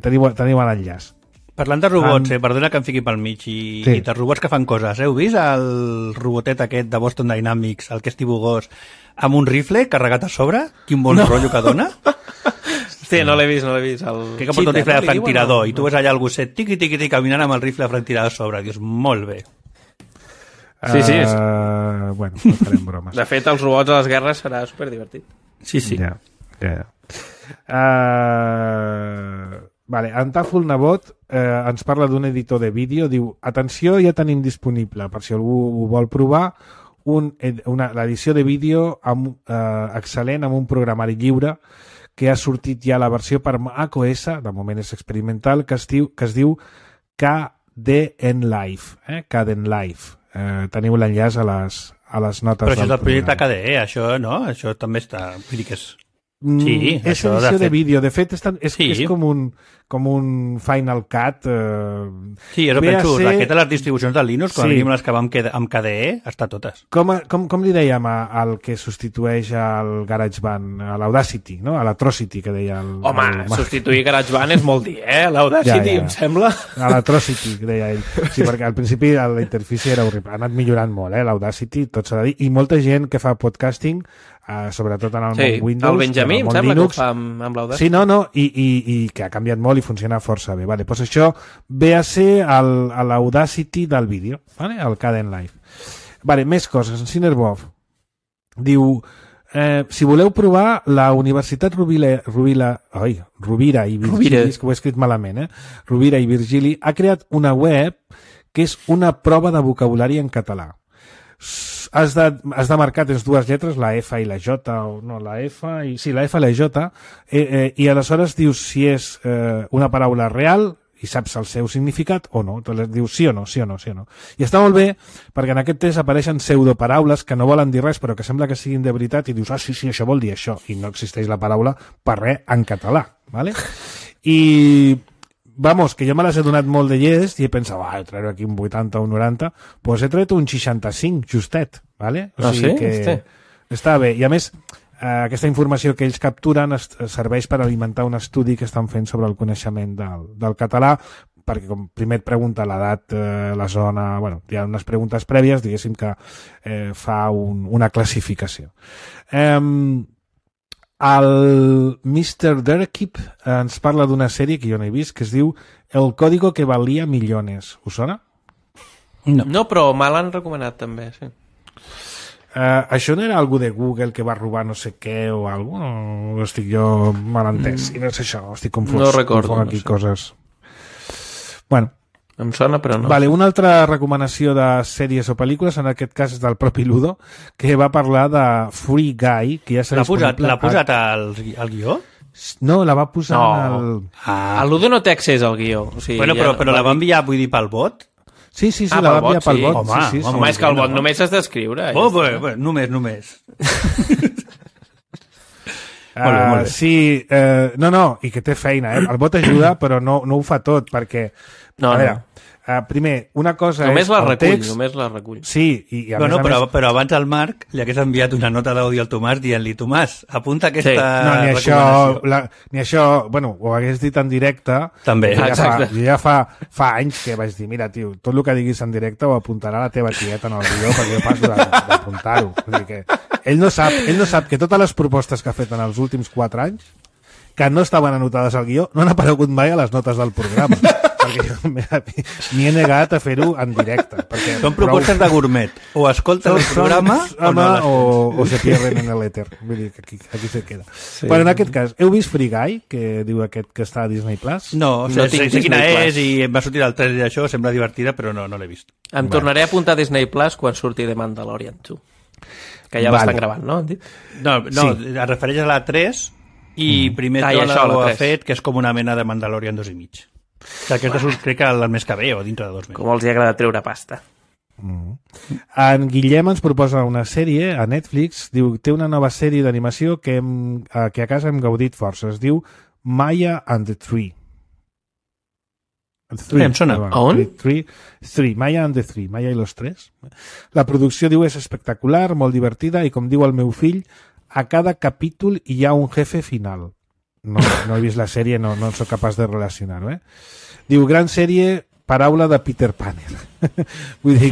Teniu l'enllaç. Parlant de robots, perdona que em fiqui pel mig, i de robots que fan coses. Heu vist el robotet aquest de Boston Dynamics, el que és tibugós, amb un rifle carregat a sobre? Quin bon rotllo que dona. Sí, no l'he vist. Que porta un rifle de franctirador, i tu ves allà el gosset tiqui-tiqui caminant amb el rifle de franctirador a sobre. Dius, molt bé. Sí. Bueno, no farem bromes. De fet, els robots a les guerres serà superdivertit. Sí. Ja. Vale, en Tàfol Nebot ens parla d'un editor de vídeo, diu: atenció, ja tenim disponible, per si algú ho vol provar, l'edició de vídeo excel·lent amb un programari lliure que ha sortit ja la versió per macOS, de moment és experimental, que es diu Kdenlive. Kdenlive. Teniu l'enllaç a les notes del programa. Però això és el projecte KDE, això, no? Això també està... Vull dir que és... Sí, és edició de vídeo. De fet, és com un Final Cut. Sí, jo penso, aquest de les distribucions de Linux, quan venim les que vam amb KDE, està totes. Com li dèiem al que substitueix el GarageBand, a l'Audacity, no? A l'Atrocity, que deia el... Home, substituir GarageBand és molt dir, l'Audacity, em sembla. A l'Atrocity, que deia ell. Sí, perquè al principi la interfície era horrible. Ha anat millorant molt, l'Audacity, tot s'ha de dir. I molta gent que fa podcasting, sobretot en el món Windows, el Benjamí, em sembla, Linux, que ho fa amb l'Audacity. Sí, no, i que ha canviat molt i funciona força bé. Vale, doncs això ve a ser l'Audacity del vídeo, vale? El Kdenlive. Vale, més coses. En Cinerbov diu: si voleu provar, la Universitat Rovira i Virgili, és que ho he escrit malament, Rovira i Virgili ha creat una web que és una prova de vocabulari en català. Has de marcar, tens dues lletres, la F i la J, o no, la F i la J, i aleshores dius si és una paraula real i saps el seu significat o no. Dius sí o no. I està molt bé, perquè en aquest test apareixen pseudoparaules que no volen dir res, però que sembla que siguin de veritat, i dius, sí, això vol dir això, i no existeix la paraula per res en català, ¿vale? I... Vamos, que jo me les he donat molt de llest i he pensat, trauré aquí un 80 o un 90, doncs he tret un 65, justet, ¿vale? O sigui que està bé. I a més, aquesta informació que ells capturen serveix per alimentar un estudi que estan fent sobre el coneixement del català, perquè com primer et pregunta l'edat, la zona... Bueno, hi ha unes preguntes prèvies, diguéssim, que fa una classificació. El Mr. Derkip ens parla d'una sèrie que jo no he vist, que es diu El código que valía millones. Us sona? No, però me l'han recomanat també, sí. Això no era algú de Google que va robar no sé què o alguna cosa? No estic jo mal entès. I no és això, estic confós. No recordo. Aquí coses. Bueno. Em sona, però no. Vale, una altra recomanació de sèries o pel·lícules, en aquest cas és del propi Ludo, que va parlar de Free Guy, que ja s'ha disponible... L'ha posat al guió? No, la va posar al... El Ludo no té accés al guió. O sigui, bueno, però la va enviar, vull dir, pel bot? Sí, la va enviar pel bot. Home, és que el bot només has d'escriure. Només. Molt bé. Sí, no, i que té feina, El bot ajuda, però no ho fa tot, perquè... No. Primer, una cosa només és el text... Només la recull. Sí, i a més a més... Però abans el Marc li hagués enviat una nota d'àudio al Tomàs dient-li, Tomàs, apunta aquesta recomanació. Ni això, bueno, ho hagués dit en directe. També. Ja fa anys que vaig dir, mira, tio, tot el que diguis en directe ho apuntarà la teva tieta en el guió, perquè jo passo d'apuntar-ho. Vull dir que ell no sap que totes les propostes que ha fet en els últims 4 anys, que no estaven anotades al guió, no han aparegut mai a les notes del programa. Perquè jo m'hi he negat a fer-ho en directe. Són propostes de gourmet. O escolten el programa o se pierden en l'èter. Vull dir que aquí se queda. Sí. Però en aquest cas, heu vist Free Guy, que diu aquest que està a Disney Plus? No sé quina és i em va sortir el trailer d'això, sembla divertida, però no l'he vist. Em tornaré a apuntar a Disney Plus quan surti de Mandalorian 2. Que ja l'estan gravant, no? No, es refereix a la 3 i primer ho ha fet, que és com una mena de Mandalorian 2 i mig. Que aquesta crec que el mes que ve o dintre de 2 mesos. Com els hi agrada treure pasta. En Guillem ens proposa una sèrie a Netflix, diu, té una nova sèrie d'animació que a casa hem gaudit força, es diu Maya and the Three. Em sona. On? Maya and the Three, Maya i los tres. La producció, diu, és espectacular, molt divertida i, com diu el meu fill, a cada capítol hi ha un jefe final. No he vist la sèrie, no soc capaç de relacionar-ho. Diu, gran sèrie, paraula de Peter Panner. Vull dir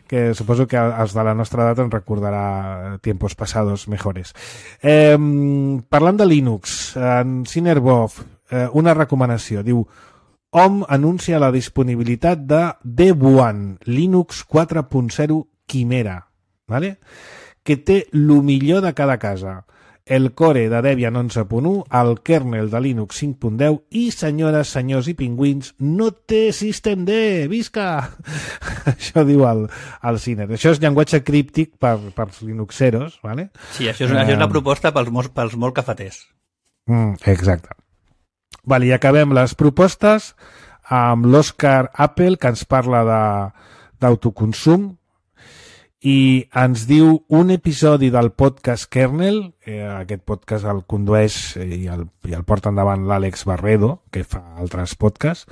que suposo que els de la nostra edat en recordarà tiempos pasados mejores. Parlant de Linux, en Cinerbov, una recomanació. Diu, Hom anuncia la disponibilitat de Devuan Linux 4.0 Quimera, ¿vale? Que té el millor de cada casa. El core de Debian 11.1, el kernel de Linux 5.10 i, senyores, senyors i pingüins, no té System D! Visca! Això diu el Ciner. Això és llenguatge críptic pels linuxeros, ¿vale? Sí, això és una proposta pels molt cafeters. Exacte. Vale, i acabem les propostes amb l'Òscar Apple, que ens parla d'autoconsum, i ens diu un episodi del podcast Kernel, aquest podcast el condueix i el porta endavant l'Àlex Barredo, que fa altres podcasts,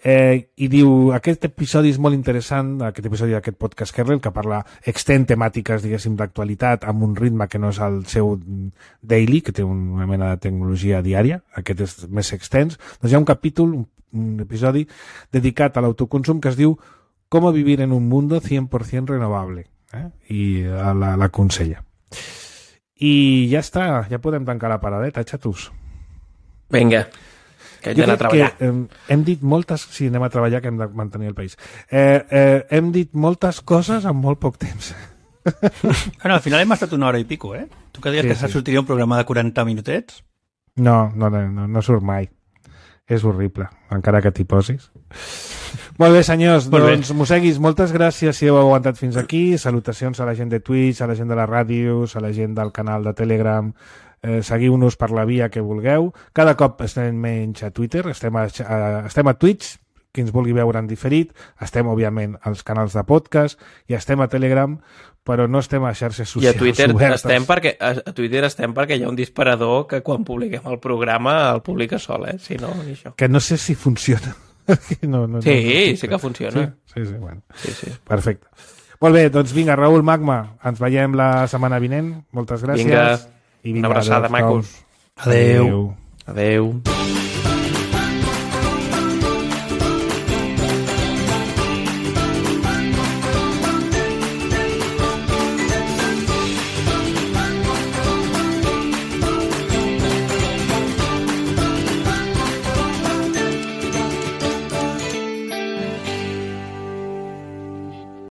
i diu, aquest episodi és molt interessant, aquest episodi d'aquest podcast Kernel, que parla, extén temàtiques, diguéssim, d'actualitat amb un ritme que no és el seu daily, que té una mena de tecnologia diària, aquest és més extens. Doncs hi ha un capítol, un episodi dedicat a l'autoconsum que es diu «Cómo vivir en un mundo 100% renovable». I l'aconsella. I ja està, ja podem tancar la paradeta, xatos. Vinga, que hem d'anar a treballar. Hem dit moltes... Sí, anem a treballar, que hem de mantenir el país. Hem dit moltes coses en molt poc temps. Bueno, al final hem estat 1 hora i pico, eh? Tu que deies que sortiria un programa de 40 minutets? No surt mai. És horrible, encara que t'hi posis. Molt bé, senyors, doncs, Mosseguis, moltes gràcies si heu aguantat fins aquí. Salutacions a la gent de Twitch, a la gent de les ràdios, a la gent del canal de Telegram. Seguiu-nos per la via que vulgueu. Cada cop estem menys a Twitter, estem a Twitch, qui ens vulgui veure en diferit. Estem, òbviament, als canals de podcast i estem a Telegram, però no estem a xarxes socials obertes. I a Twitter estem perquè hi ha un disparador que quan publiquem el programa el publica sol, si no, ni això. Que no sé si funciona. Sí que funciona. Sí, bueno. Sí. Perfecte. Molt bé, doncs vinga, Raül Magma, ens veiem la setmana vinent. Moltes gràcies. Vinga, una abraçada, macos. Adeu. Adeu.